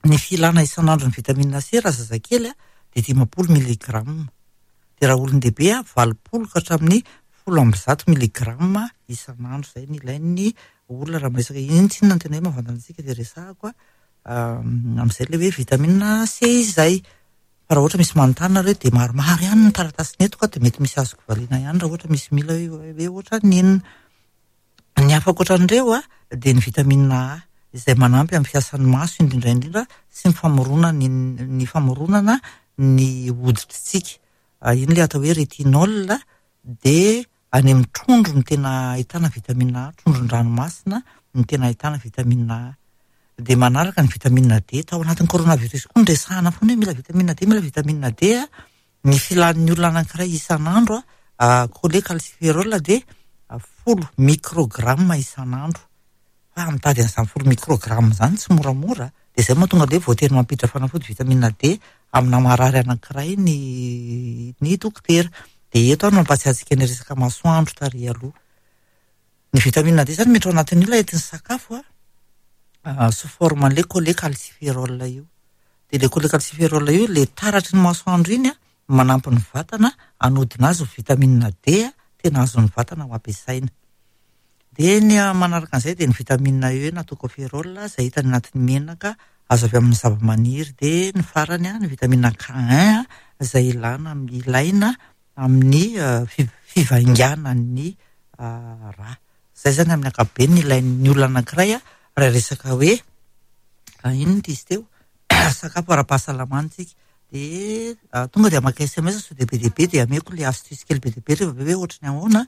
Ny filana isan'andro ny vitamine C raha zazakely a dia dimampolo milligramme, dia raha olon-dehibe a valopolo ka hatramin'ny folo amby zato milligramme isan'andro. Izay ny ilain'ny olona raha miresaka iny. Tsy inona no tena hoe mahavantana antsika dia resahako a amin'izay ilay hoe vitamine C izay. Fa raha ohatra misy manontany nareo dia maromaro ihany ny taratasiny eto ka dia mety misy azoko valiana ihany raha ohatra misy mila hoe ohatra ny inona. Ny hafa ankoatran'ireo a dia ny vitamine A izay manampy amin'ny fiasan'ny maso indrindra indrindra sy ny famoronana ny famoronana ny hoditritsika. Iny ilay atao hoe rétinol, dia any amin'ny trondro no tena ahitana vitamine A, trondron-dranomasina no tena ahitana vitamine A. Dia manaraka ny vitamine D, tao anatin'ny coronavirus koa ny resahana foana hoe mila vitamine D, mila vitamine D a. Ny filan'ny olona anankiray isan'andro a Cholécalciférol dia folo microgramme isan'andro. Fa mitady an'izany folo microgramme izany tsy moramora, dia izay mahatonga ilay voatery mampiditra fanafody vitamine D amina marary anankiray ny ny dokotera. Dia eto aho no mampahatsiahy antsika ny resaka masoandro tary aloha. Ny vitamine D izany mety ao anatin'io ilay entin'ny sakafo a, sous forme an'ilay cholécalciférol io. Dia ilay cholécalciférol io, ilay taratry ny masoandro iny a, manampy ny vatana hanodina azy ho vitamine D tena azon'ny vatana ho ampiasaina. Dia ny manaraka an'izay dia ny vitamine E na tocopherol izay hita any anatin'ny menaka azo avy amin'ny zavamaniry. Dia ny farany ny vitamine K un izay ilana ilaina amin'ny fivainganan'ny rà. Izay izany amin'ny ankapobeny ny ilain'ny olona anankiray raha resaka hoe inona ity izy teo, sakafo ara-pahasalamana isika. Dia tonga dia maka S M S sao dia be dia be dia ameko ilay astuce kely be dia be rehefa avy eo hoe ohatry ny ahoana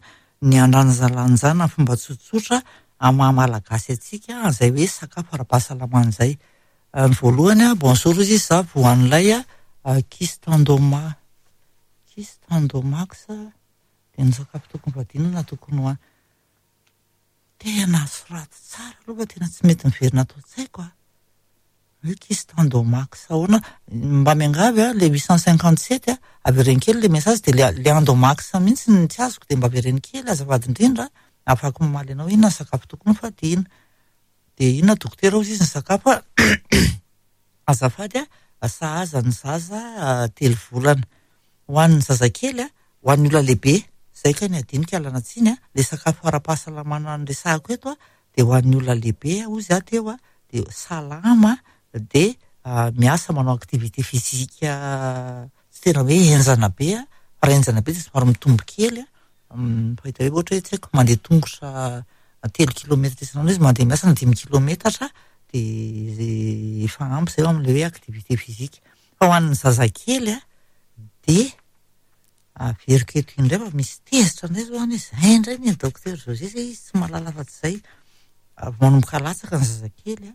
ny andanjalanjana fomba tsotsotra amin'ny maha malagasy antsika izay hoe sakafo ara-pahasalamana izay. Ny voalohany, bonjour izy, za voan'ilay kyste endoma, kyste endomax dia ny sakafo tokony fadiana na tokony ho tena soraty tsara aloha fa tena tsy mety miverina ato an-tsaiko a. Hoe kyste endomax ahoana? Mba miangavy a, le huit cent cinquante sept a, avereno kely le message dia le le endomax mihitsy ny tsy azoko dia mba avereno kely azafady indrindra ahafahako mamaly anao inona ny sakafo tokony ho fadiana. Dia inona dokotera hozy izy ny sakafo a, azafady a, sahaza ny zaza telo volana. Ho an'ny zazakely a, ho an'ny olona lehibe, izay kay ny adinika alana tsiny a, le sakafo ara-pahasalamana noresahako eto a, dia ho an'ny olona lehibe hozy aho teo a, dia salama dia miasa manao activité physique tsy tena hoe henjana be a, fa raha henjana be dia somary mitombo kely a, fahita hoe ohatra hoe tsy haiko mandeha tongotra telo kilometatra isan'andro izy mandeha miasa na dimy kilometatra dia efa ampy izay amin'ilay hoe activité physique. Fa ho an'ny zazakely a, dia averiko eto indray fa misy tezitra indray zao any hoe izay indray ny docteur José zay izy tsy mahalala afa-tsy izay. Manomboka latsaka ny zazakely a,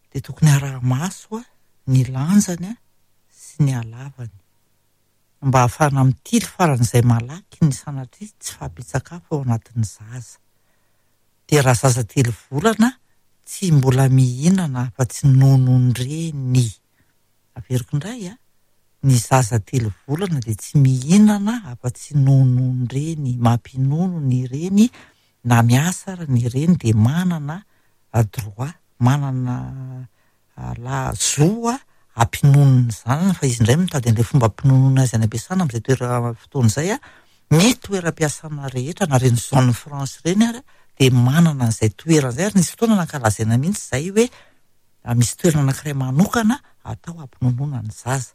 dia tokony araha-maso a ny lanjany a sy ny halavany mba ahafahana mitily faran'izay malaky ny sanatria tsy fahampian-tsakafo ao anatin'ny zaza. Dia raha zaza telo volana tsy mbola mihinana afa-tsy nonon-dreny. Averiko indray a, ny zaza telo volana dia tsy mihinana afa-tsy nonon-dreny. Mampinono ny reny na miasa ary ny reny dia manana droit, manana la zo hampinono ny zanany fa izy indray mitady an'ilay fomba hampinonoana azy any am-piasana amin'izay toerana fotoana izay a. Ny toeram-piasana rehetra na ireny zone franche ireny ary dia manana an'izay toerana izay ary nisy fotoana nankalazaina mihitsy izay hoe misy toerana anankiray manokana atao hampinonoana ny zaza.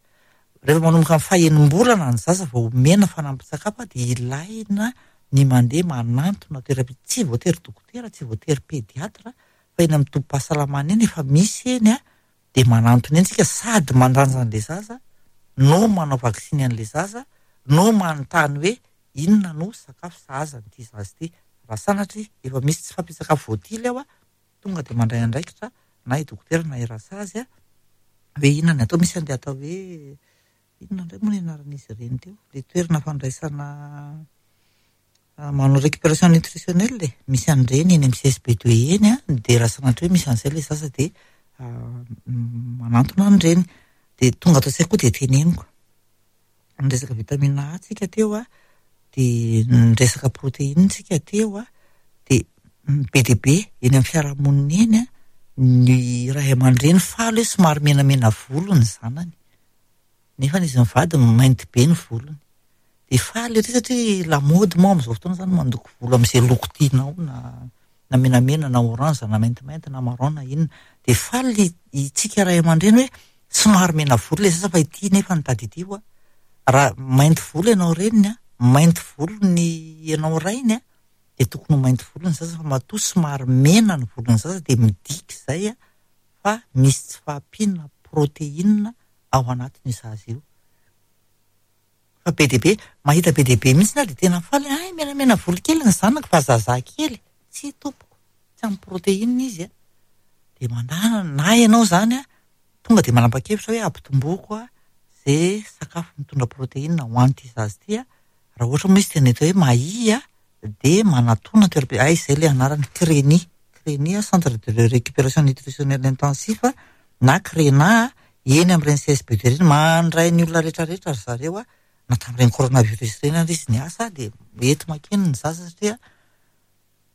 Rehefa manomboka amin'ny fahenim-bolana ny zaza vao omena fanampin-tsakafo dia ilaina ny mandeha manantona toeram-pi-, tsy voatery dokotera, tsy voatery pédiatre fa eny amin'ny tobim-pahasalamana eny efa misy eny a, dia manantona eny tsika sady mandanja an'ilay zaza no manao vaksiny an'ilay zaza no manontany hoe inona no sakafo sahaza an'ity zaza ity. Raha sanatria efa misy tsy fahampian-tsakafo voatily ao a, tonga dia mandray andraikitra na i dokotera na i rasazy a, hoe inona ny atao. Misy an'ilay atao hoe inona indray moa ny anaran'izy ireny teo, ilay toerana fandraisana manao récupération nutritionnelle e, misy an'ireny eny amin'ny C S B deux eny a, dia raha sanatria hoe misy an'izay ilay zaza dia manantona an'ireny. Dia tonga ato an-tsaiko koa dia teneniko. Ny resaka vitamine A tsika teo a, dia ny resaka protéine tsika teo a, dia be dia be eny amin'ny fiarahamonina eny a, ny ray aman-dreny faly hoe somary menamena volo ny zanany. Nefa izy mivady mainty be ny volony. Dia faly ery satria lamaody moa amin'izao fotoana izany mandoko volo amin'izay loko tianao na na menamena na orange na maintimainty na marron na inona. Dia faly itsika ray aman-dreny hoe somary mena volo ilay zaza fa ity nefa ny tadidio a. Raha mainty volo ianao reniny a, mainty volo ny ianao rainy a, dia tokony ho mainty volo ny zaza fa matoa somary mena ny volon'ny zaza dia midika izay a fa misy tsy fahampiana protéine ao anatin'io zaza io. Fa be dia be, mahita be dia be mihitsy na dia tena faly, ay menamena volo kely ny zanako fa zaza kely. Tsy tompoko, tsy amin'ny protéine izy a. Dia mandana na ianao izany a, tonga dia manapa-kevitra hoe ampitomboko a izay sakafo mitondra protéine ho an'ity zaza ity a, Raha ohatra moa izy tena hita hoe mahia dia manatona toeram-, ay izay ilay anarany, CRENI, CRENI Centre de Récupération Nutritionnelle Intensif na CRENA, eny amin'ireny C S B D ireny, mandray ny olona rehetrarehetra ry zareo a, na tamin'ireny coronavirus ireny ary izy niasa dia mety makeny ny zaza satria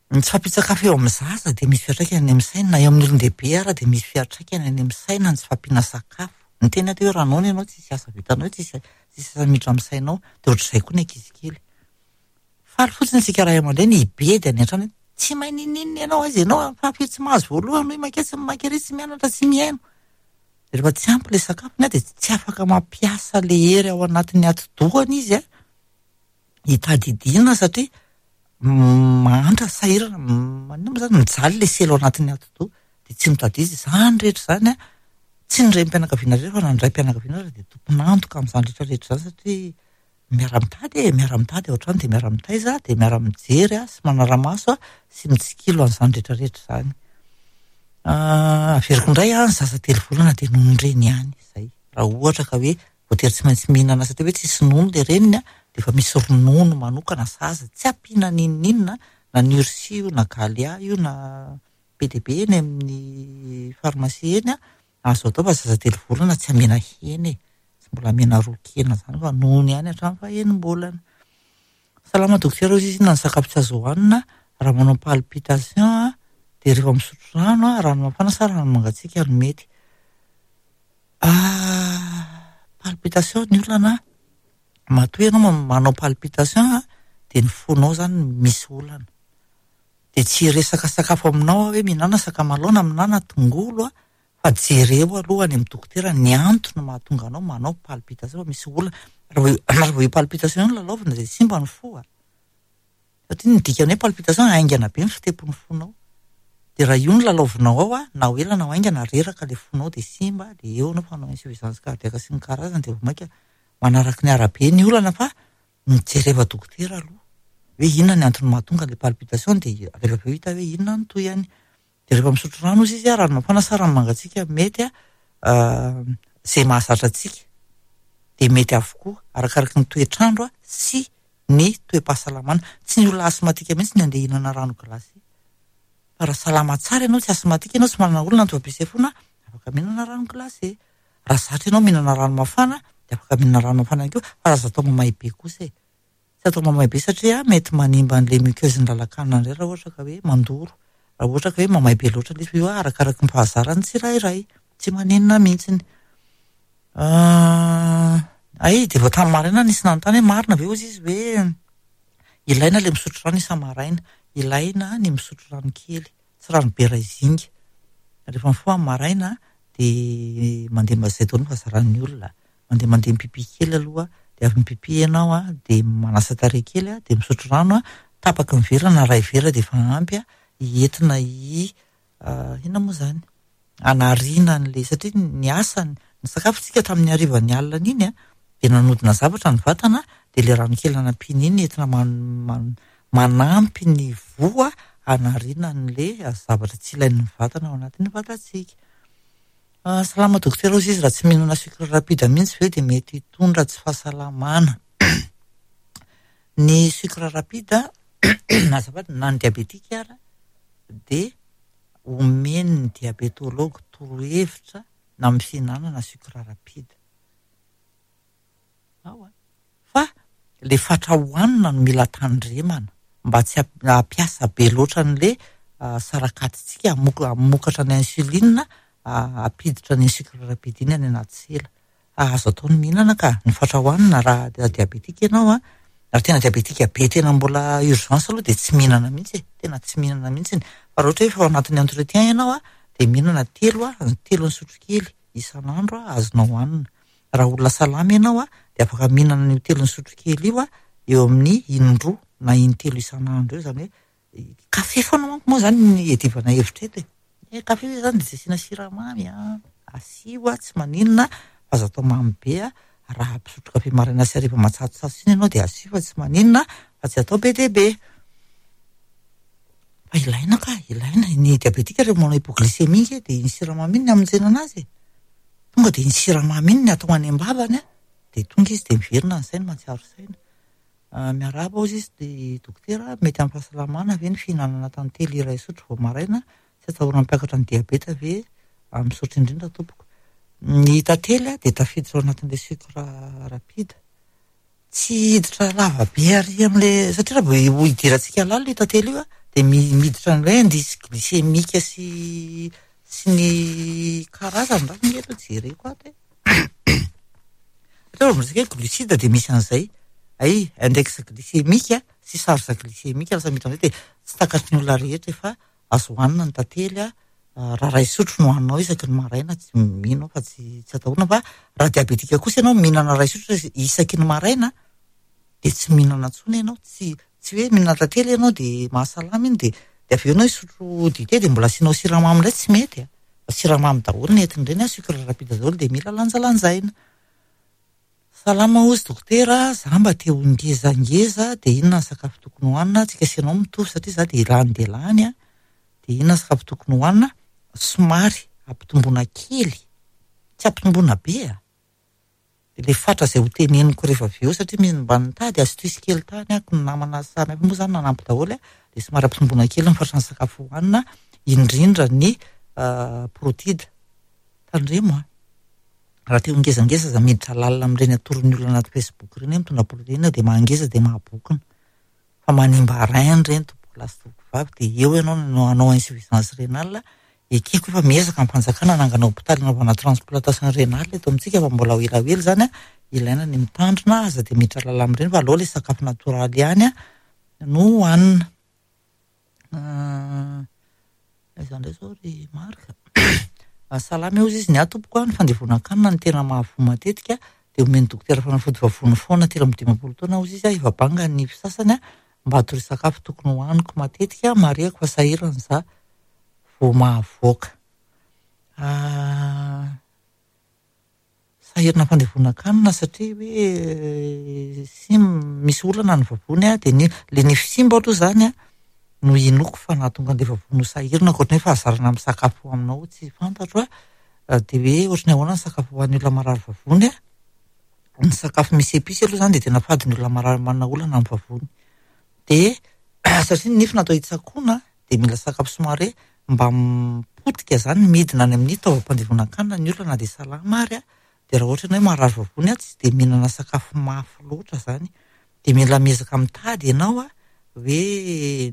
ny tsy fahampian-tsakafo eo amin'ny zaza dia misy fiantraikany any amin'ny saina, na eo amin'ny olon-dehibe ara dia misy fiantraikany any amin'ny saina ny tsy fahampiana sakafo. Ny tena atao hoe raha noana ianao tsisy asa vitanao, tsisy, tsisy asa miditra amin'ny sainao, dia ohatr'izay koa ny ankizy kely. Faly fotsiny isika ray aman-dreny hibedy any an-trano hoe tsy mahay n'inon'inona ianao, aiza ianao, fa firy tsy mahazo voalohany, hoy makeo, tsy mamaky ery, tsy mianatra, tsy mihaino. Rehefa tsy ampy ilay sakafony dia tsy afaka mampiasa ilay hery ao anatin'ny atidohany izy a, hitadidiana satria mahantra, sahirana, maninona moa zany, mijaly ilay sela ao anatin'ny atidoha dia tsy mitadidy izy. Izany rehetra izany a, tsy ny renim-pianakaviana rehetra fa na ny raim-pianakaviana ary dia tompon'antoka amin'izany rehetra rehetra izany satria miara-mitady e, miara-mitady ao an-trano dia miara-mitaiza, dia miara-mijery a, sy manara-maso a, sy mitsikilo an'izany rehetra rehetra izany. Ah, averiko indray a, ny zaza telo volana dia nonon-dreny ihany izay. Raha ohatra ka hoe voatery tsy maintsy mihinana satria hoe tsisy nono ilay reniny a, dia efa misy ronono manokana sahaza, tsy ampiana n'inon'inona, na Nursi io, na Galia io, na be dia be eny amin'ny farmasia eny a, azo atao fa zaza telo volana tsy amena hena e, tsy mbola amena ron-kena izany fa nono ihany hatramin'ny fahenim-bolana. Salama dokotera, hoy izy, inona ny sakafo tsy azo hohanina raha manao palpitation a, dia rehefa misotro rano a, rano mafana sa rano mangatsiaka no mety? Ah, palpitation ny olana, matoa ianao ma-, manao palpitation a, dia ny fonao zany misy olana. Dia tsy hiresaka sakafo aminao aho hoe mihinana sakamalao na mihinana tongolo a, fa jereo aloha any amin'ny dokotera ny antony mahatonga anao manao palpitation fa misy olana. Raha vao io, raha vao io palpitation io no lalaovina dia simba ny fo a. Satria ny dikany hoe palpitation haingana be ny fitepon'ny fonao. Dia raha io no lalaovinao ao a, na ho ela na ho haingana reraka ilay fonao dia simba, dia eo anao fanao insuffisance cardiaque sy ny karazany dia vao mainka manaraka ny arabe ny olana fa mijereva dokotera aloha. Hoe inona ny antony mahatonga ilay palpitation dia rehefa avy eo hita hoe inona ny tohiny. Dia rehefa misotro rano izy izy a, rano mafana sa rano mangatsiaka mety a, izay mahazatra antsika dia mety avokoa arakaraka ny toetr'andro a sy ny toe-pahasalamana. Tsy ny olona asthmatique mihitsy ny andeha hihinana rano glacé. Fa raha salama tsara ianao, tsy asthmatique ianao, tsy manana olana ny taovam-pisefoana, afaka mihinana rano glacé. Raha zatra ianao mihinana rano mafana dia afaka mihinana rano mafana ihany koa, fa aza atao mamay be kosa e. Tsy atao mamay be satria mety manimba an'ilay muqueuse ny lalan-kanina indray raha ohatra ka hoe mandoro. Raha ohatra ka hoe mamay be loatra ilay izy, io arakaraka ny fahazaran'ny tsirairay, tsy maninona mihitsiny. Ah, ay, dia vao tamin'ny maraina nisy nanontany hoe marina ve hozy izy hoe ilaina ilay misotro rano isa-maraina, ilaina ny misotro rano kely, tsy rano be iray zinga. Rehefa mifoha amin'ny maraina dia mandeha ma-, izay daholo ny fahazaran'ny olona. Mandeha mandeha mipipi kely aloha, dia avy mipipi ianao a, dia manasa tarehy kely a, dia misotro rano a, tapaky ny vera na iray vera dia efa ampy a, entina hi-, ah, inona moa izany? Anariana an'ilay, satria ny asany, ny sakafontsika tamin'ny hariva ny alina iny a, dia nanodina zavatra ny vatana, dia ilay rano kely nampiana iny entina man-, man-, manampy ny voa anariana an'ilay zavatra tsy ilain'ny vatana ao anatin'ny vatantsika. Ah, salama dokotera, hoy izy, raha tsy mihinana sucre rapide mihitsy ve dia mety hitondra tsy fahasalamana. Ny sucre rapide, azafady, na ny diabetika ara, dia omen'ny diabetologue torohevitra na amin'ny fihinanana sucre rapide. Ao a. Fa le fatra hohanina no mila tandremana mba tsy hamp-, hampiasa be loatra an'le, ah, sarakatintsika hamok-, hamokatra ny insuline, ah, hampiditra ny sucre rapide iny any anaty sela. Ah, azo atao ny mihinana ka, ny fatra hohanina raha diabetika ianao a, raha tena diabetika be tena mbola urgence aloha dia tsy mihinana mihitsy e, tena tsy mihinana mihitsy. Fa raha ohatra hoe efa ao anatin'ny entretien ianao a, dia mihinana telo a, telo ny sotrokely isan'andro a, azonao hohanina. Raha olona salama ianao a, dia afaka mihinana an'io telo ny sotrokely io a, eo amin'ny indroa na intelo isan'andro eo, izany hoe kafe foana manko moa izany ny iadivana hevitra eto e. Eh, kafe io izany dia tsy asiana siramamy a, asio a, tsy maninona, fa aza atao mamy be a. Raha mpisotro kafe maraina sy hariva matsatsotsatso iny ianao dia asio fa tsy maninona, fa tsy atao be dia be. Fa ilaina ka, ilaina ny diabetika rehefa manao hypoglycémie nge dia iny siramamy iny ny hamonjena anazy e. Tonga dia iny siramamy iny ny atao any am-bavany a, dia tonga izy dia miverina ny sainy mahatsiaro saina. Miarahaba hozy izy dia dokotera, mety amin'ny fahasalamana ve ny fihinanana tantely iray sotro vao maraina? Tsy atahorana hampiakatra ny diabeta ve? Misaotra indrindra tompoko. Ny tantely dia tafiditra ao anatin'ilay sucre rapide. Tsy hiditra lava be ary amin'ilay, satria raha vao hidirantsika lalina io tantely io dia miditra amin'ilay indice glycémique sy sy ny karazany raha ny eto jereko ato e. Satria raha vao miresaka hoe glucide dia misy an'izay. Ay, index glycémique sy charge glycémique lasa miditra amin'izay dia tsy takatry ny olona rehetra efa azo hohanina ny tantely a. Raha iray sotro no hohaninao isaky ny maraina, tsy mino aho fa tsy tsy atahorana, fa raha diabetika kosa ianao mihinana iray sotro isaky ny maraina dia tsy mihinana intsony ianao, tsy tsy hoe mihinana tantely ianao dia mahasalama iny dia dia avy eo ianao hisotro dite dia mbola asianao siramamy indray, tsy mety a. Siramamy daholo ny entin'ireny a, sucre rapide daholo dia mila lanjalanjaina. Salama hozy dokotera, za mba te ho ngezangeza dia inona ny sakafo tokony hohanina? Tsika sy ianao mitovy satria za dia lany dia lany a. Dia inona ny sakafo tokony hohanina? Somary ampitomboina kely, tsy ampitomboina be a. Dia ilay fatra izay ho teneniko rehefa avy eo satria misy mba nitady astuce kely tany ako ny namana samy hafa moa zany nanampy daholo a, dia somary ampitomboina kely ny fatran'ny sakafo hohanina, indrindra ny protide. Tandremo a. Raha te ho ngezangeza aza miditra lalina amin'ireny atoron'ny olona anaty Facebook ireny hoe mitondra protéine dia mahangeza dia mahabokona. Fa manimba rein ireny tompoko lahy sy tompoko vavy dia eo ianao no hanao insuffisance rénale. Ekeko fa miezaka ny fanjakana hanangana hôpitaly hanaovana transplantation rénale eto amintsika fa mbola ho elaela izany a, ilaina ny mitandrina, aza dia miditra lalina amin'ireny fa aleo ilay sakafo natoraly ihany a no hohanina. Aiza indray izao ry Marc? Salama eo izy, ny ahy tompoko a, ny fandevonan-kanina no tena mahavoa matetika dia omen'ny dokotera fanafody vavony foana telo amby dimampolo taona hozy izy a, efa banga ny fisasany a, mba hatory sakafo tokony hohaniko matetika, marihako fa sahirana za vao mahavoaka. Sahirana fandevonan-kanina satria hoe sim misy olana ny vavony a, dia ny le nify simba aloha zany a no inoako fa nahatonga an'ilay vavony ho sahirana, ankoatra ny hoe fahazarana amin'ny sakafo aminao tsy fantatro a, dia hoe ohatran'ny ahoana ny sakafo ho an'ny olona marary vavony a. Ny sakafo misy episy aloha zany dia tena fady ny olona marary manana olana amin'ny vavony. Dia satria ny nify natao hitsakoana dia mila sakafo somary hoe mba mipotika zany midina any amin'ny taovam-pandevonan-kanina ny olona na dia salama ary a. Dia raha ohatra hoe marary vavony a, tsy dia mihinana sakafo mafy loatra zany. Dia mila miezaka mitady ianao a, hoe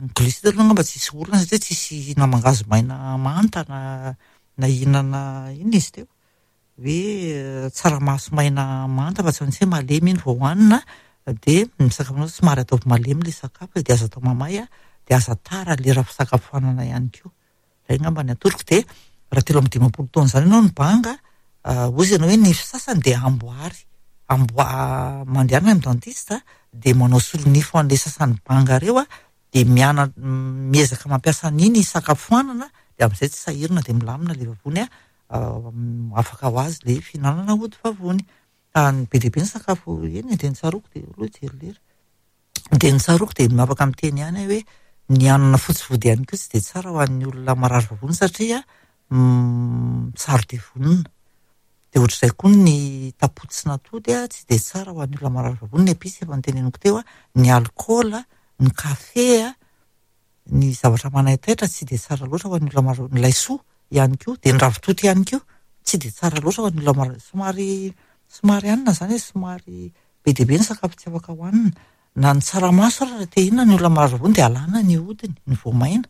ny glucide aloha angamba tsisy olana satria tsisy na mangahazo maina manta na na hihinana inona izy teo, hoe tsaramaso maina manta fa tsy maintsy hoe malemy iny vao hohanina, dia ny sakafonao somary ataovy malemy ilay sakafo dia aza atao mamay a, dia aza tara lera fisakafoanana ihany koa. Izay angamba ny atoroko. Dia raha telo amby dimampolo taona izany ianao no banga, hozy ianao hoe ny fisasany dia amboary, amboa mandehana amin'ny dentiste dia manao solonify ho an'ilay sasany banga ireo a, dia miana miezaka mampiasa an'iny hisakafoanana, dia amin'izay tsy sahirana dia milamina ilay vavony a, afaka ho azy ilay fihinanana ody vavony. Ny be dia be ny sakafo eny dia ny tsaroako dia aloha jery lera. Dia ny tsaroako dia afaka miteny ihany aho hoe ny hanina fotsy vody ihany koa tsy dia tsara ho an'ny olona marary vavony satria saro-devonina. Dia ohatr'izay koa ny tapotsy sy natody a, tsy dia tsara ho an'ny olona marary vavony, ny episy efa noteneniko teo a, ny alkaola, ny kafe a, ny zavatra manaitaitra tsy dia tsara loatra ho an'ny olona marary, ny laisoa ihany koa, dia ny ravitoto ihany koa tsy dia tsara loatra ho an'ny olona marary. Somary somary hanina zany e, somary be dia be ny sakafo tsy afaka hohanina. Na ny tsaramaso ary raha te hihinana ny olona marary vavony dia alana ny hodiny, ny voamaina.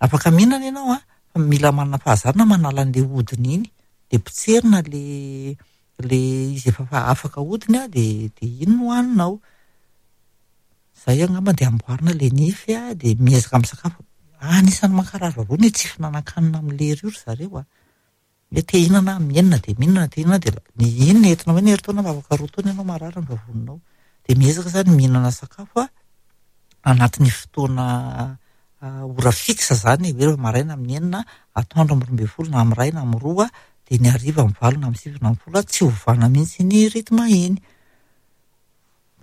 Afaka mihinana ianao a, fa mila manana fahazarana manala an'ilay hodiny iny, dia potserina le le izy efa afaka hodiny a, dia dia iny no hohaninao. Izay angamba dia amboarina ilay nify a, dia miezaka misakafo. Anisan'ny mankarary vavony ny tsy fihinanan-kanina amin'ny lera io ry zareo a. Hoe te hihinana mihenina dia mihinana, te hihinana dia ny inona entinao hoe ny herintaona fa afaka roa taona ianao marary ny vavoninao. Dia miezaka zany mihinana sakafo a anatin'ny fotoana ora fixe zany, hoe maraina amin'ny enina, atoandro amin'ny roa ambin'ny folo na amin'ny iray na amin'ny roa, dia ny hariva amin'ny valo na amin'ny sivy na amin'ny folo, tsy ovana mihitsy iny rythme iny.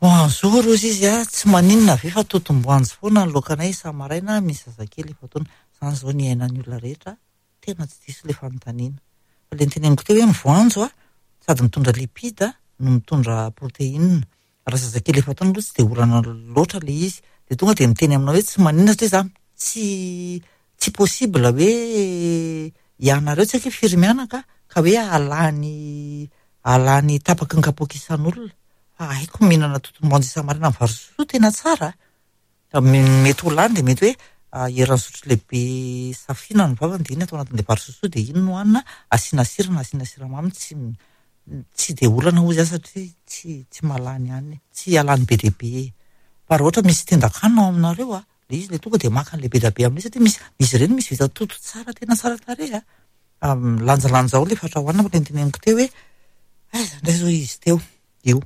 Bonjour hozy izy a, tsy maninona ve fa totom-boanjo foana ny laokanay isa-maraina, misy zazakely efa taona. Izany izao ny iainan'ny olona rehetra, tena tsy diso ilay fanontaniana. Fa ilay noteneniko teo hoe ny voanjo a, sady mitondra lipide no mitondra protéine. Raha zazakely efa-taona aloha tsy dia olana loatra ilay izy. Dia tonga dia miteny aminao hoe tsy maninona satria za tsy tsy possible hoe ianareo tsy haiko hoe firy mianaka ka hoe ahalany ahalany tapaky ny kapoaka isan'olona. Fa haiko mihinana totom-boanjo isa-maraina amin'ny vary sosoa tena tsara. Mety ho lany dia mety hoe eran'ny sotro lehibe safina ny vavany dia iny atao anatin'ilay vary sosoa dia iny no hohanina, asiana sira na asiana siramamy, tsy tsy dia olana hozy aho satria tsy tsy mahalany hanina e, tsy halany be dia be. Fa raha ohatra misy tendan-kanina ao aminareo a, ilay izy ilay tonga dia maka an'ilay be dia be amin'ilay satria misy izy ireny misy vita toto tsara tena tsara tarehy a. Lanjalanjao ilay fatra hohanina fa ilay noteneniko teo hoe aiza indray izao izy teo, io.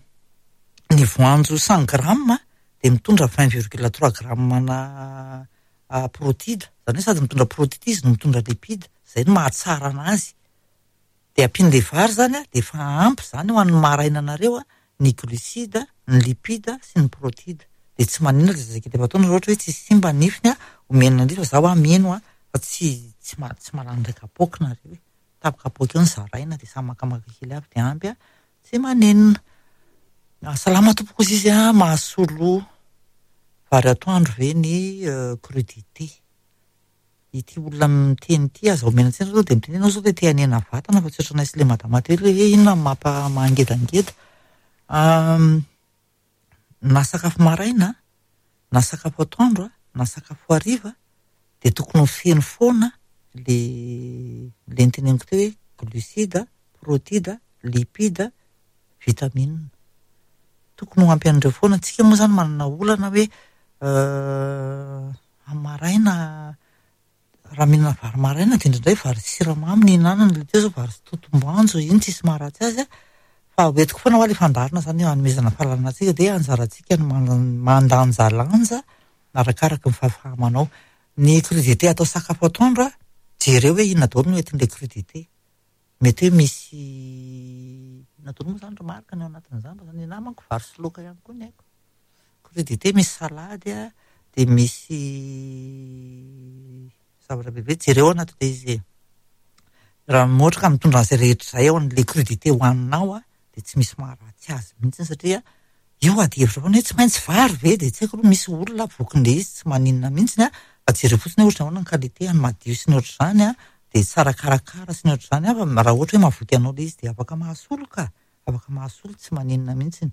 Ny voanjo cent grammes dia mitondra vingt virgule trois grammes na protide, izany hoe sady mitondra protide izy no mitondra lipide, izay no mahatsara anazy. Dia ampian'ilay vary izany a, dia efa ampy izany ho an'ny maraina anareo a, ny glucide, ny lipide sy ny protide. Dia tsy maninona ilay zazakely efa-taona raha ohatra hoe tsy simba ny nifiny a, omena an'ilay izy fa zaho a mino a, fa tsy tsy ma- tsy mahalany iray kapoaka nareo e. Tapakapoaka eo no zaraina dia samy makamaka kely avy dia ampy a, tsy maninona. Salama tompoko hozy izy a, mahasolo vary atoandro ve ny crudité? Ity olona miteny ity aza omena tsiny aloha dia miteny ianao zao dia te hanena vatana fa tsy ohatranay sy ilay madama teo ilay hoe inona no mampa mahangedangeda. Na sakafo maraina, na sakafo atoandro, na sakafo hariva dia tokony ho feno foana le le noteneniko teo hoe glucide, protide, lipide, vitamine. Tokony ho ampy an'ireo foana. Tsika moa zany manana olana hoe amin'ny maraina raha mihinana vary maraina dia indraindray vary siramamy no ihinanana, ilay teo zao vary sy totom-boanjo iny tsisy maharatsy azy a. Fa hoentiko foana hoa ilay fandaharana zany hanomezana fahalalana antsika dia anjarantsika no mandanjalanja arakaraka ny fahafahamanao. Ny crudité atao sakafo atoandro a, jereo hoe inona daholo no entin'ilay crudité. Mety hoe misy inona daholo moa zany ry Marc ny ao anatin'izany fa ny anahy manko vary sy laoka ihany koa ny haiko. Crudité misy salady a, dia misy zavatra bebe, jereo ao anatin'ilay izy e. Raha ohatra ka mitondra an'izay rehetra izay ao an'ilay crudité hohaninao a, dia tsy misy maharatsy azy mihitsy satria io ady hevitra foana hoe tsy maintsy vary ve dia tsy haiko aloha misy olona vokin'ilay izy tsy maninona mihitsy a, fa jereo fotsiny hoe ohatra ahoana ny qualité ny madio sy ny ohatr'izany a, dia tsara karakara sy ny ohatr'izany a, fa raha ohatra hoe mahavoky anao ilay izy dia afaka mahasolo ka, afaka mahasolo tsy maninona mihitsy.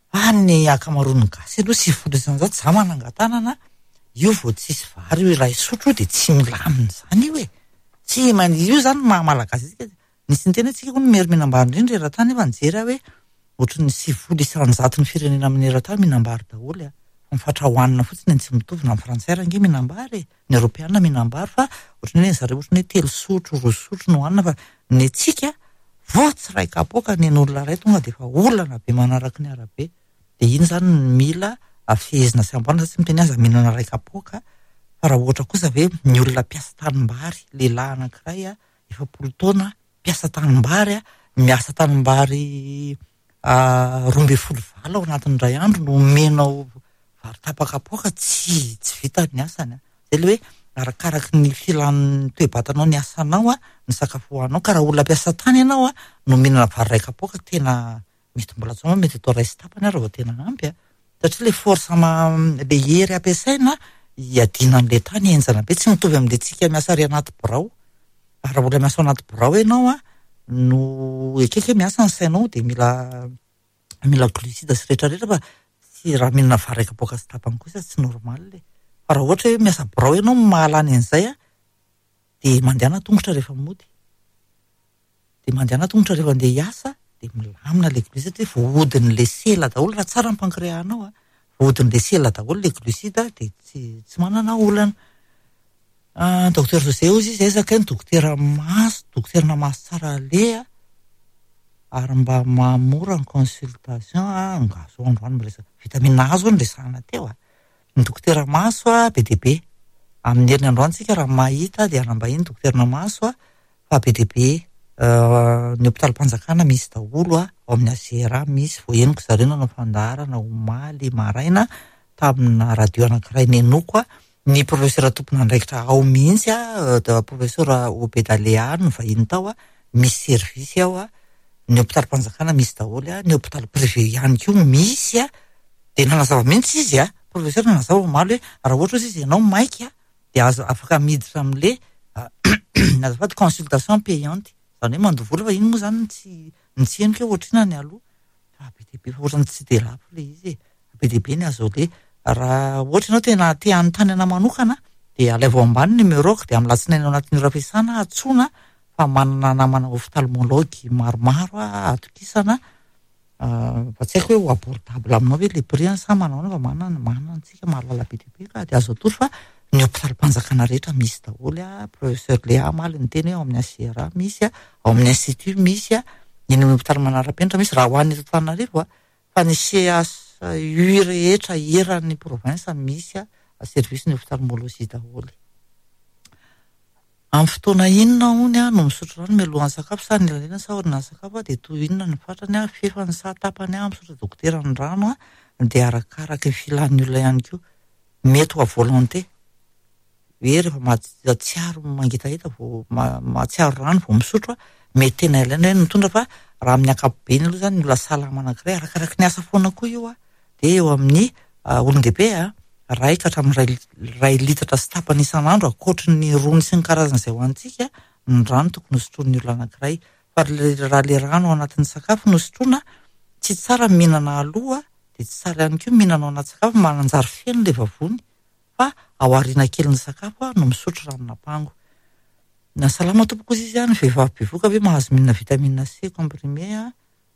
Fa ny ankamaroan'ny gasy aloha sivifolo isanjato za manangan-tanana io vao tsisy vary io iray sotro dia tsy milamina izany io e. Tsy man- io zany maha malagasy antsika. Nisy niteny hoe tsika hono mery mihinam-bary indrindra eran-tany nefa nijery aho hoe ohatran'ny sivifolo isanjato ny firenena amin'ny eran-tany mihinam-bary daholo a. Fa ny fatra hohanina fotsiny no tsy mitovy na ny frantsay ary ange mihinam-bary e. Ny eoropeana mihinam-bary fa ohatran'ny hoe zareo ohatran'ny hoe telo sotro, roa sotro no hohanina fa ny antsika vao tsy iray kapoaka ny an'olona iray tonga dia efa olana be manaraka ny arabe. Dia iny zany no mila afehezina sy amboarina, tsy miteny aza mihinana iray kapoaka fa raha ohatra kosa ve ny olona mpiasa tanimbary, lehilahy anankiray a, efapolo taona, mpiasa tanimbary a, miasa tanimbary roa ambin'ny folo valo ao anatin'ny iray andro no omenao vary tapakapoaka, tsy tsy vita ny asany a. Zay le hoe arakaraky ny filan'ny toe-batanao ny asanao a, ny sakafo hohaninao, ka raha olona mpiasa tany ianao a, no mihinana vary iray kapoaka tena mety mbola tsy mety atao iray sy tapany ary vao tena ampy a. Satria le force ma le hery ampiasaina hiadiana amin'ilay tany henjana be, tsy mitovy amin'ilay tsika miasa ary anaty birao. Raha mbola miasa ao anaty birao ianao a, no ekeko hoe miasa ny sainao dia mila mila glucide sy rehetrarehetra fa tsy raha mihinana vary iray kapoaka sy tapany kosa tsy normal e. Fa raha ohatra hoe miasa birao ianao mahalany an'izay a, dia mandehana tongotra rehefa mody. Dia mandehana tongotra rehefa andeha hiasa dia milamina ilay glucide satria voahodin'ilay sela daholo raha tsara ny pancréas-nao a, voahodin'ilay sela daholo ilay glucide dia tsy tsy manana olana. Docteur José hozy izy aiza kay ny dokotera maso, dokotera maso tsara aleha ary mba mahamora ny consultation a, nga zao androany miresaka vitamine A zao no resahana teo a. Ny dokotera maso a be dia be. Amin'ny heriny androany tsika raha mahita dia hanambahiny dokotera maso a, fa be dia be ny hopitalim-panjakana misy daholo a, ao amin'ny A G R A misy, voahenoko zareo nanao fandaharana omaly maraina tamina radio anankiray nenoko a, ny professeur tompon'andraikitra ao mihitsy a, professeur Obedalea no vahiny tao a, misy service ao a, Ny hôpitalim-panjakana misy daholo a, ny hôpitaly privé ihany koa misy a. Dia nanazava mihitsy izy a, professeur nanazava omaly hoe raha ohatra izy ianao maika dia azo afaka miditra amin'le azafady consultation payante, izany hoe mandoa vola, fa iny moa zany tsy ny tsy henoko hoe ohatr'inona ny aloha, fa be dia be, fa ohatrany tsy dia lafo le izy e, be dia be ny azo aleha. Raha ohatra ianao tena te hanontany anahy manokana dia alaivo ambany numéro-ko, dia amin'ny alatsinainy ao anatin'ny ora fiasana antsoina, fa manana namana ophtalmologue maromaro a atokisana, fa tsy haiko hoe ho abordable aminao ve le prix sa manao ahoana, fa manana manana antsika mahalala be dia be ka dia azo atoro. Fa ny hôpitalim-panjakana rehetra misy daholo a. Professeur Léa omaly niteny hoe ao amin'ny H I R A misy a, ao amin'ny institut misy a, eny amin'ny hôpitaly manara-penitra misy, raha ho an'ny eto Antananarivo a, fa ny C H U rehetra eran'ny province misy a, service ny ophtalmologie daholo. Amin'ny fotoana inona hony a no misotro rano mialohan'ny sakafo sa ny elanelana sa aorian'ny sakafo a, dia toy inona ny fatrany a, fefany sa tapany a, misotra dokotera ny rano a, dia arakaraky ny filan'ny olona ihany koa. Mety ho à volonté hoe rehefa mahatsiaro mangetaheta vao ma-, mahatsiaro rano vao misotro a, mety tena ilaina hoe mitondra, fa raha amin'ny ankapobeny aloha zany ny olona salama anankiray arakaraky ny asa foana koa io a, dia eo amin'ny, ah, olon-dehibe a, iray ka hatramin'ny iray, iray litatra sy tapany isan'andro, ankoatry ny rony sy ny karazany izay hohanintsika, ny rano tokony hosotroin'ny olona anankiray. Fa le, raha le rano ao anatin'ny sakafo no sotroina, tsy tsara mihinana aloha, dia tsy tsara ihany koa mihinana ao anaty sakafo, mananjary feno le vavony, fa ao aoriana kelin'ny sakafo a, no misotro ranon'ampango. Na salama tompoko izy izy a, ny vehivavy bevoka ve mahazo mihinana vitamine C comprimé a,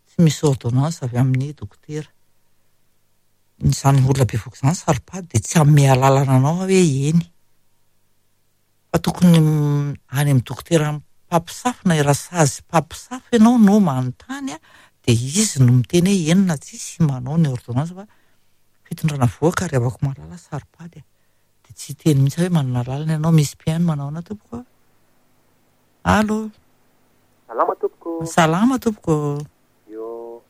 tsy misy ordonnance avy amin'ny dokotera. Izany olona bevoka izany saro-pady dia tsy hanome alalana anao hoe eny. Fa tokony any amin'ny dokotera mpampisafo na rasazy mpampisafo ianao no manontany a, dia izy no miteny hoe eny na tsisy manao ny ordonnance, fa fitondrana vohoka ary havako mahalala saro-pady a. Dia tsy hiteny mihitsy hoe manana alalana ianao, misy mpihaino manao ahoana tompoko? Allô? Salama tompoko. Salama tompoko. Io,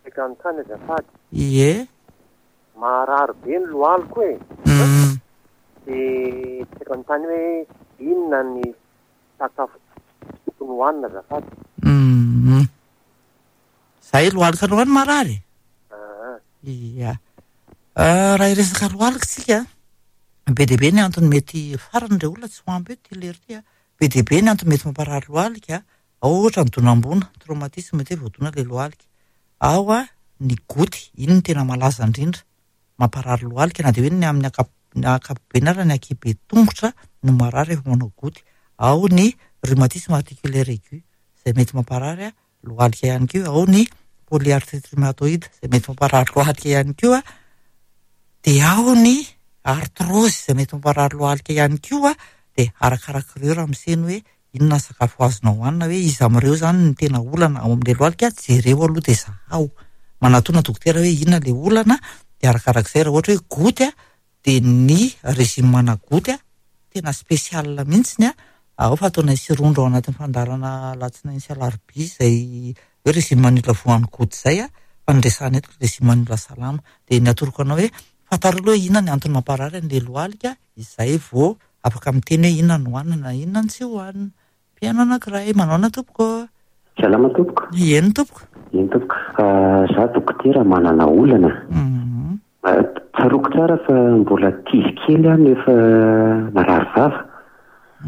saika hanontany azafady. Ie. Marary be ny lohaliko e. Mm. Dia saika hanontany hoe inona ny sakafo tokony hohanina azafady? Mm. Zay lohalika aloha ny marary? Ah. Ia. Ah, raha hiresaka lohalika tsika, be dia be ny antony mety farany ireo olona tsy ho ampy eto ity lery ity a. Be dia be ny antony mety mamparary lohalika, ao ohatra ny donam-boana, traumatisme mety hoe voadona ilay lohalika. Ao a, ny goty, iny no tena malaza indrindra mamparary lohalika, na dia hoe ny amin'ny ankap-, ny ankapobeny ary ny ankihibe tongotra no marary rehefa manao goty. Ao ny rhumatisme articulaire aigu, izay mety mamparary lohalika ihany koa. Ao ny polyarthrite rhumatoïde, izay mety mamparary lohalika ihany koa. Dia ao ny arthrose, izay mety mamparary lohalika ihany koa. Dia arakarak'ireo raha miseny hoe inona ny sakafo azonao hohanina, hoe iza amin'ireo zany no tena olana ao amin'ilay lohalika, jereo aloha dia zahao. Manatona dokotera hoe inona ilay olana, dia arakarak'izay raha ohatra hoe goty a, dia ny régime ana goty a, tena spécial mihitsiny a, ao fa ataonay sy rondro ao anatin'ny fandaharana alatsinainy sy alarobia izay hoe régime an'ny olona voan'ny goty izay a, fa ny resahana eto régime an'ny olona salama. Dia ny atoroko anao hoe fantaro aloha hoe inona ny antony mamparary an'ilay lohalika, izay vao afaka miteny hoe inona no hohanina na inona no tsy hohanina. Mpihaino anankiray, manao ahoana tompoko? Salama tompoko. Eny tompoko. Eny tompoko. Ah, za dokotera manana olana. Mhm. Ah, tsaroako tsara fa mbola ankizy kely aho no efa marary vava.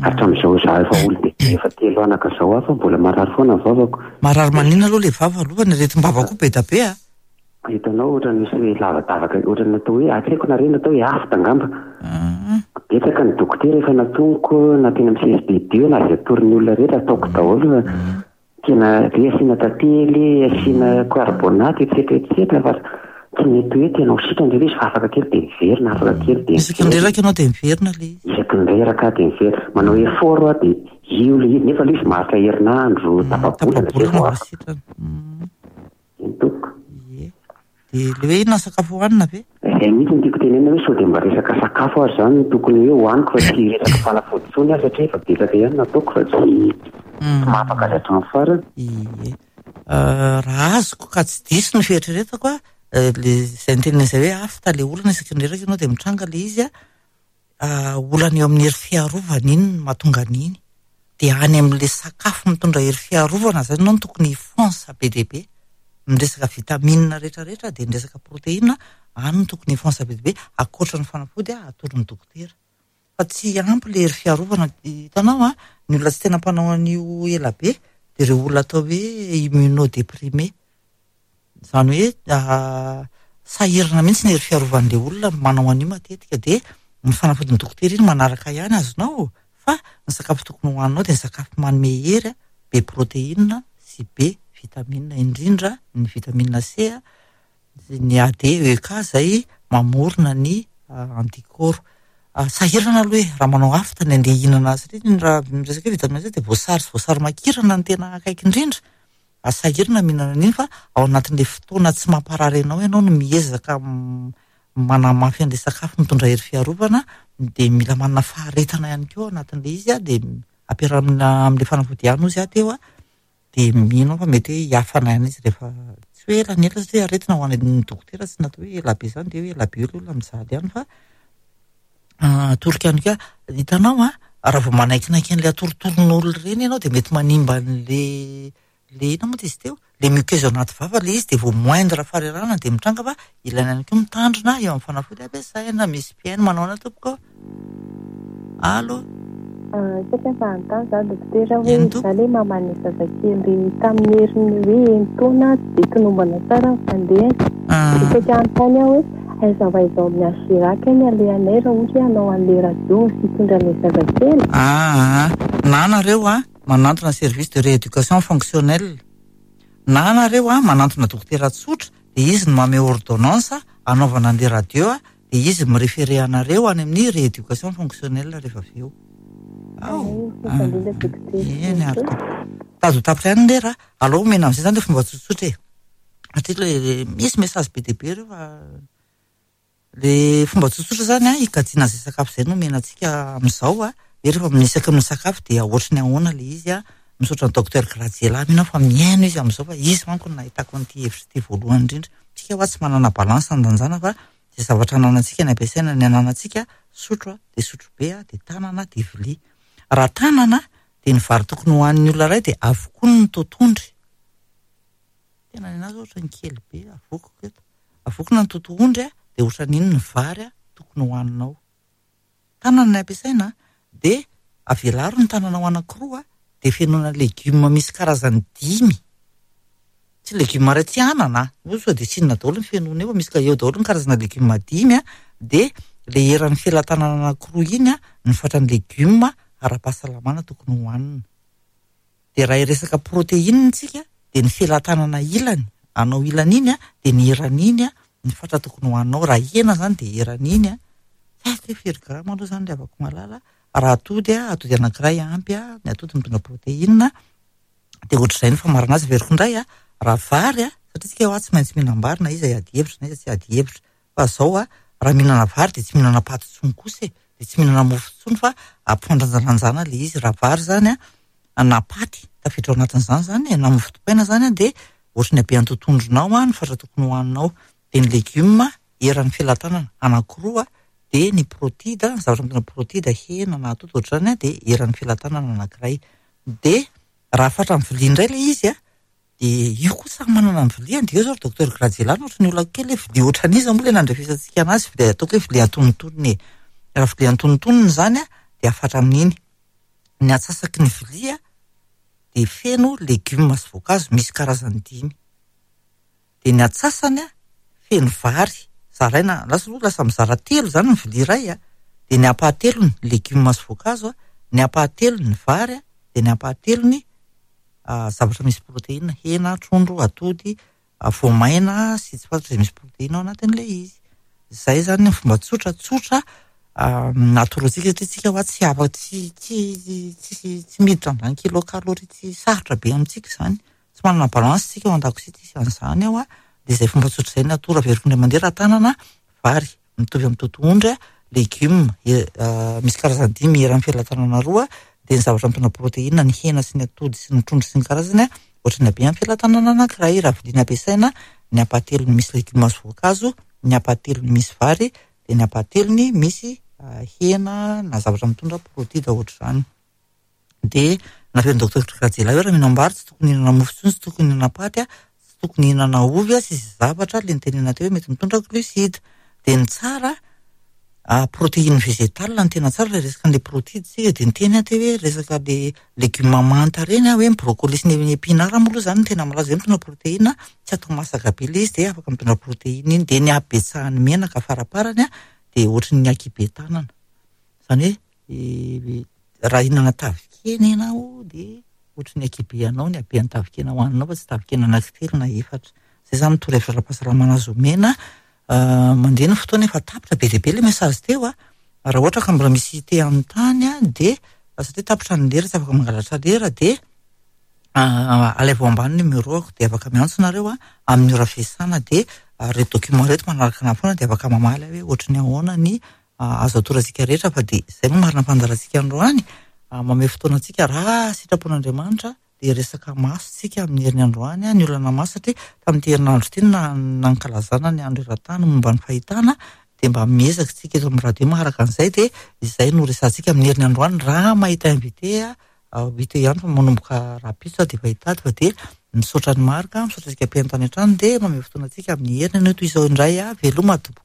Hatramin'izao za efa olon-dehibe efa telo anaka izao aho fa mbola marary foana ny vavako. Marary maninona aloha ilay vava aloha, fa ny aretim-bava koa be dia be a. Hitanao ohatran'ny misy hoe lavadavaka, ohatran'ny natao hoe, tsy haiko na re natao hoe afta angamba. Ah. Betsaka ny dokotera efa natoniko na teny amin'ny C S B deux na izay atoron'ny olona rehetra ataoko daholo fa tena hoe asiana tantely, asiana carbonate, et cetera, et cetera, fa tsy mety hoe tena ho sitrana ilay izy fa afaka kely dia miverina, afaka kely dia Isaky ny miverina. reraka ianao dia miverina ilay izy. Isaky ny reraka dia miverina. Manao effort aho dia io ilay izy, nefa ilay izy maharitra herinandro, Mm, tapa-bolana izay tapa-bolana vao vao afaka. sitrana. Mm. Eny tompoko. Ie. Dia ilay hoe inona sakafo hohanina ve? Izay mihitsy no tiako tenenina hoe sao dia mba resaka sakafo ary izany no tokony hoe hohaniko fa tsy resaka fanafody intsony aho satria efa betsaka ihany nataoko fa tsy Mm. tsy mahafaka azy hatramin'ny farany. Ie. Euh, raha azoko ka tsy diso ny fieritreretako a, euh, le izay nitenena izay hoe afta le olana isaky ny reraka ianao dia mitranga le izy a, ah, olana eo amin'ny hery fiarovana iny no mahatonga an'iny. Dia any amin'ilay sakafo mitondra hery fiarovana zany ianao no tokony hifonce be dia be. Ny resaka vitamine rehetrarehetra dia ny resaka protéine any no tokony hifonce be dia be ankoatra ny fanafody atoron'ny dokotera. Fa tsy ampy ilay hery fiarovana. Hitanao an, ny olona tsy tena mpanao an'io ela be dia ireo olona atao hoe immunodéprimé. Izany hoe sahirana mihitsy ny hery fiarovan'ilay olona manao an'io matetika dia ny fanafodin'ny dokotera iny manaraka ihany azonao fa ny sakafo tokony hohaninao dia ny sakafo manome hery be protéine sy be vitamine, indrindra ny vitamine C ny A D E K izay mamorona ny anticorps. Sahirana aloha e, raha manao afta ny andeha hihinana azy satria raha miresaka hoe vitamine C dia voasary sy voasary makirana no tena akaiky indrindra. Sahirana mihinana an'iny fa ao anatin'ilay fotoana tsy mamparary anao ianao no miezaka manamafy an'ilay sakafo mitondra hery fiarovana dia mila manana faharetana ihany koa ao anatin'ilay izy dia ampiarahana amin'ilay fanafody ihany ozy aho teo a dia mino aho fa mety hoe hiafana ihany izy rehefa tsy hoe ela ny ela satria aretina ho an'ny dokotera tsy natao hoe ela be izany dia hoe ela be eo ilay olona mijaly ihany fa atoroko ihany koa hitanao a raha vao manaikinaiky an'ilay atorotoroin'olona ireny ianao dia mety manimba an'ilay le inona moa izy teo le muqueuse anaty vava le izy dia vao moindre farerana dia mitranga fa ilaina ihany koa mitandrina eo amin'ny fanafody ampiasaina. Misy mpihaino manao ana tompoko. Allo. Saika mba hanontany za dokotera hoe za le maman'ny zazakely tamin'ny heriny hoe enin-taona dia tonombana tsara ny fandehany. Saika hanontany aho hoe aiza ho aiza ao amin'ny H G R A ny alehanay raha ohatra hoe hanao an'ilay radio sy hitondra an'ilay zazakely? Ah, na nareo a manantona service de rééducation fonctionnelle, na nareo a manantona dokotera tsotra dia izy no manome ordonnance anaovana an'ilay radio a dia izy miréféré anareo any amin'ny rééducation fonctionnelle rehefa avy eo. Ao. Eny ary tompoko. Tady ho tapitra ihany lera, aleo omena amin'izay zany ilay fomba tsotsotra e. Satria le misy message be dia be ireo fa le fomba tsotsotra zany a hikajiana izay sakafo izay no omena antsika amin'izao a. Dia rehefa misaky misakafo dia ohatry ny ahoana ilay izy a. Misaotra ny docteur Graziella mino aho fa mihaino izy amin'izao fa izy manko no nahitako an'ity hevitra ity voalohany indrindra. Tsika hoa tsy manana balance andanjana fa izay zavatra ananantsika ny ampiasaina ny ananantsika sotro a dia sotro be a dia tanana dia vilia. Raha tanana dia ny vary tokony hohanin'ny olona iray dia avokoa ny totondry. Tena ny anazy ohatra ny kely be avokoko eto. Avokona ny totohondry a dia ohatran'iny ny vary a tokony hohaninao. Tanana ny ampiasaina dia avelaro ny tananao anankiroa dia fenoina legioma misy karazany dimy. Tsy legioma iray tsy anana, sao dia tsinona daholo ny fenoina eo fa misy ka eo daholo ny karazana legioma dimy a dia le eran'ny felatanana anankiroa iny a ny fatran'ny legioma ara-pahasalamana tokony hohanina. Dia raha hiresaka protéine tsika dia ny felatanana ilany, anao ilany iny a dia ny eran'iny a ny fatra tokony hohaninao. Raha hena zany dia eran'iny a. Tsy haiko hoe firy grama aloha zany ry havako malala. Raha atody a, atody anankiray ampy a, ny atody mitondra protéine dia ohatr'izay ny famarana azy. Averiko indray a, raha vary a, satria tsika hoa tsy maintsy mihinam-bary na iza hiady hevitra na iza tsy hiady hevitra. Fa zao a, raha mihinana vary dia tsy mihinana paty intsony kosa e, dia tsy mihinana mofo intsony fa ampifandanjalanjana ilay izy. Raha vary zany a, na paty tafiditra ao anatin'izany zany e, na mofo dipaina zany a, dia ohatry ny habean'ny totondronao a ny fatra tokony hohaninao. Dia ny legioma eran'ny felatanana anankiroa dia ny protida, ny zavatra mitondra protida, hena na atody ohatr'izany a, dia eran'ny felatanana anankiray. Dia raha fatra amin'ny vilia indray ilay izy a, dia io koa samy manana ny viliany. Dia eo zao ry docteur Graziella ohatry ny olona kely hoe vilia ohatran'iza moa ilay nandrefesantsika anazy, dia ataoko hoe vilia antonontonony e. Raha vilia antonontonony izany a, dia afatra amin'iny. Ny antsasaky ny vilia dia feno legioma sy voankazo misy karazany dimy. Dia ny antsasany a, feno vary, zaraina, lasa aloha lasa mizara telo izany ny vilia iray a, dia ny ampahatelony legioma sy voankazo a, ny ampahatelony ny vary a, dia ny ampahatelony zavatra misy protéine, hena, trondro, atody, voamaina sy tsy fantatra izay misy protéine ao anatin'ilay izy. Izay zany ny fomba tsotra tsotra atoroantsika satria tsika hoa tsy afa tsy tsy tsy tsy miditra amin'izany kilocalorie tsy sarotra be amintsika izany. Tsy manana balance tsika ao an-dakozia tsisy an'izany ao a. Dia izay fomba tsotra izay ny atoro. Averiko indray mandeha raha tanana, vary mitovy amin'ny totohondry, legioma misy karazany dimy eran'ny felatanana roa, dia ny zavatra mitondra protéine, ny hena sy ny atody sy ny trondro sy ny karazany, ohatry ny habean'ny felatanana anankiray. Raha vilia ampiasaina, ny ampahatelony misy legioma sy voankazo, ny ampahatelony misy vary, dia ny ampahatelony misy hena na zavatra mitondra protida ohatr'izany. Dia naverin'ny docteur Rajelà hoe raha mihinam-bary tsy tokony hihinana mofo intsony, tsy tokony hihinana paty, tsy tokony hihinana ovy sy izay zavatra ilay nitenenana teo hoe mety mitondra glucide. Dia ny tsara, protéine végétale no tena tsara raha resaka an'ilay protides tsika dia niteny aho teo hoe resaka le legioma manta ireny hoe ny brocoli sy ny épinard moa aloha izany no tena malaza hoe mitondra protéine, tsy atao masaka be ilay izy dia afaka mitondra protéine iny. Dia ny habetsahan'ny menaka faraparany dia ohatry ny ankihibe tanana. Izany hoe raha hihinana tavikena ianao dia ohatry ny ankihibe anao ny haben'ny tavikena hohaninao fa tsy tavikena anankitelo na efatra. Izay izany no torohevitra ara-pahasalamana azo omena. Mandeha ny fotoana efa tapitra be dia be ilay message teo a. Raha ohatra ka mbola misy te hanontany a dia satria tapitra ny lera tsy afaka mangalatra lera dia alaivo ambany numéro-ako dia afaka miantso nareo a amin'ny ora fiasana dia ireto document ireto manaraka anahy foana dia afaka mamaly aho hoe ohatry ny ahoana ny azo atorantsika rehetra fa dia izay moa marina fandaharantsika androany mamehy fotoana antsika raha sitrapon'Andriamanitra dia resaka maso tsika amin'ny herin'ny androany ny olana maso satria tamin'ity herinandro ity no nankalazana ny andro eran-tany momba ny fahitana dia mba miezaka tsika eto amin'ny radio maharaka an'izay dia izay no resahantsika amin'ny herin'ny androany raha mahita invité hita ihany fa manomboka rahampitso dia efa hitady fa dia misaotra ny marika misaotra antsika mpihaino tany an-trano dia mamehy fotoana antsika amin'ny heriny anio toy izao indray a veloma tompoko.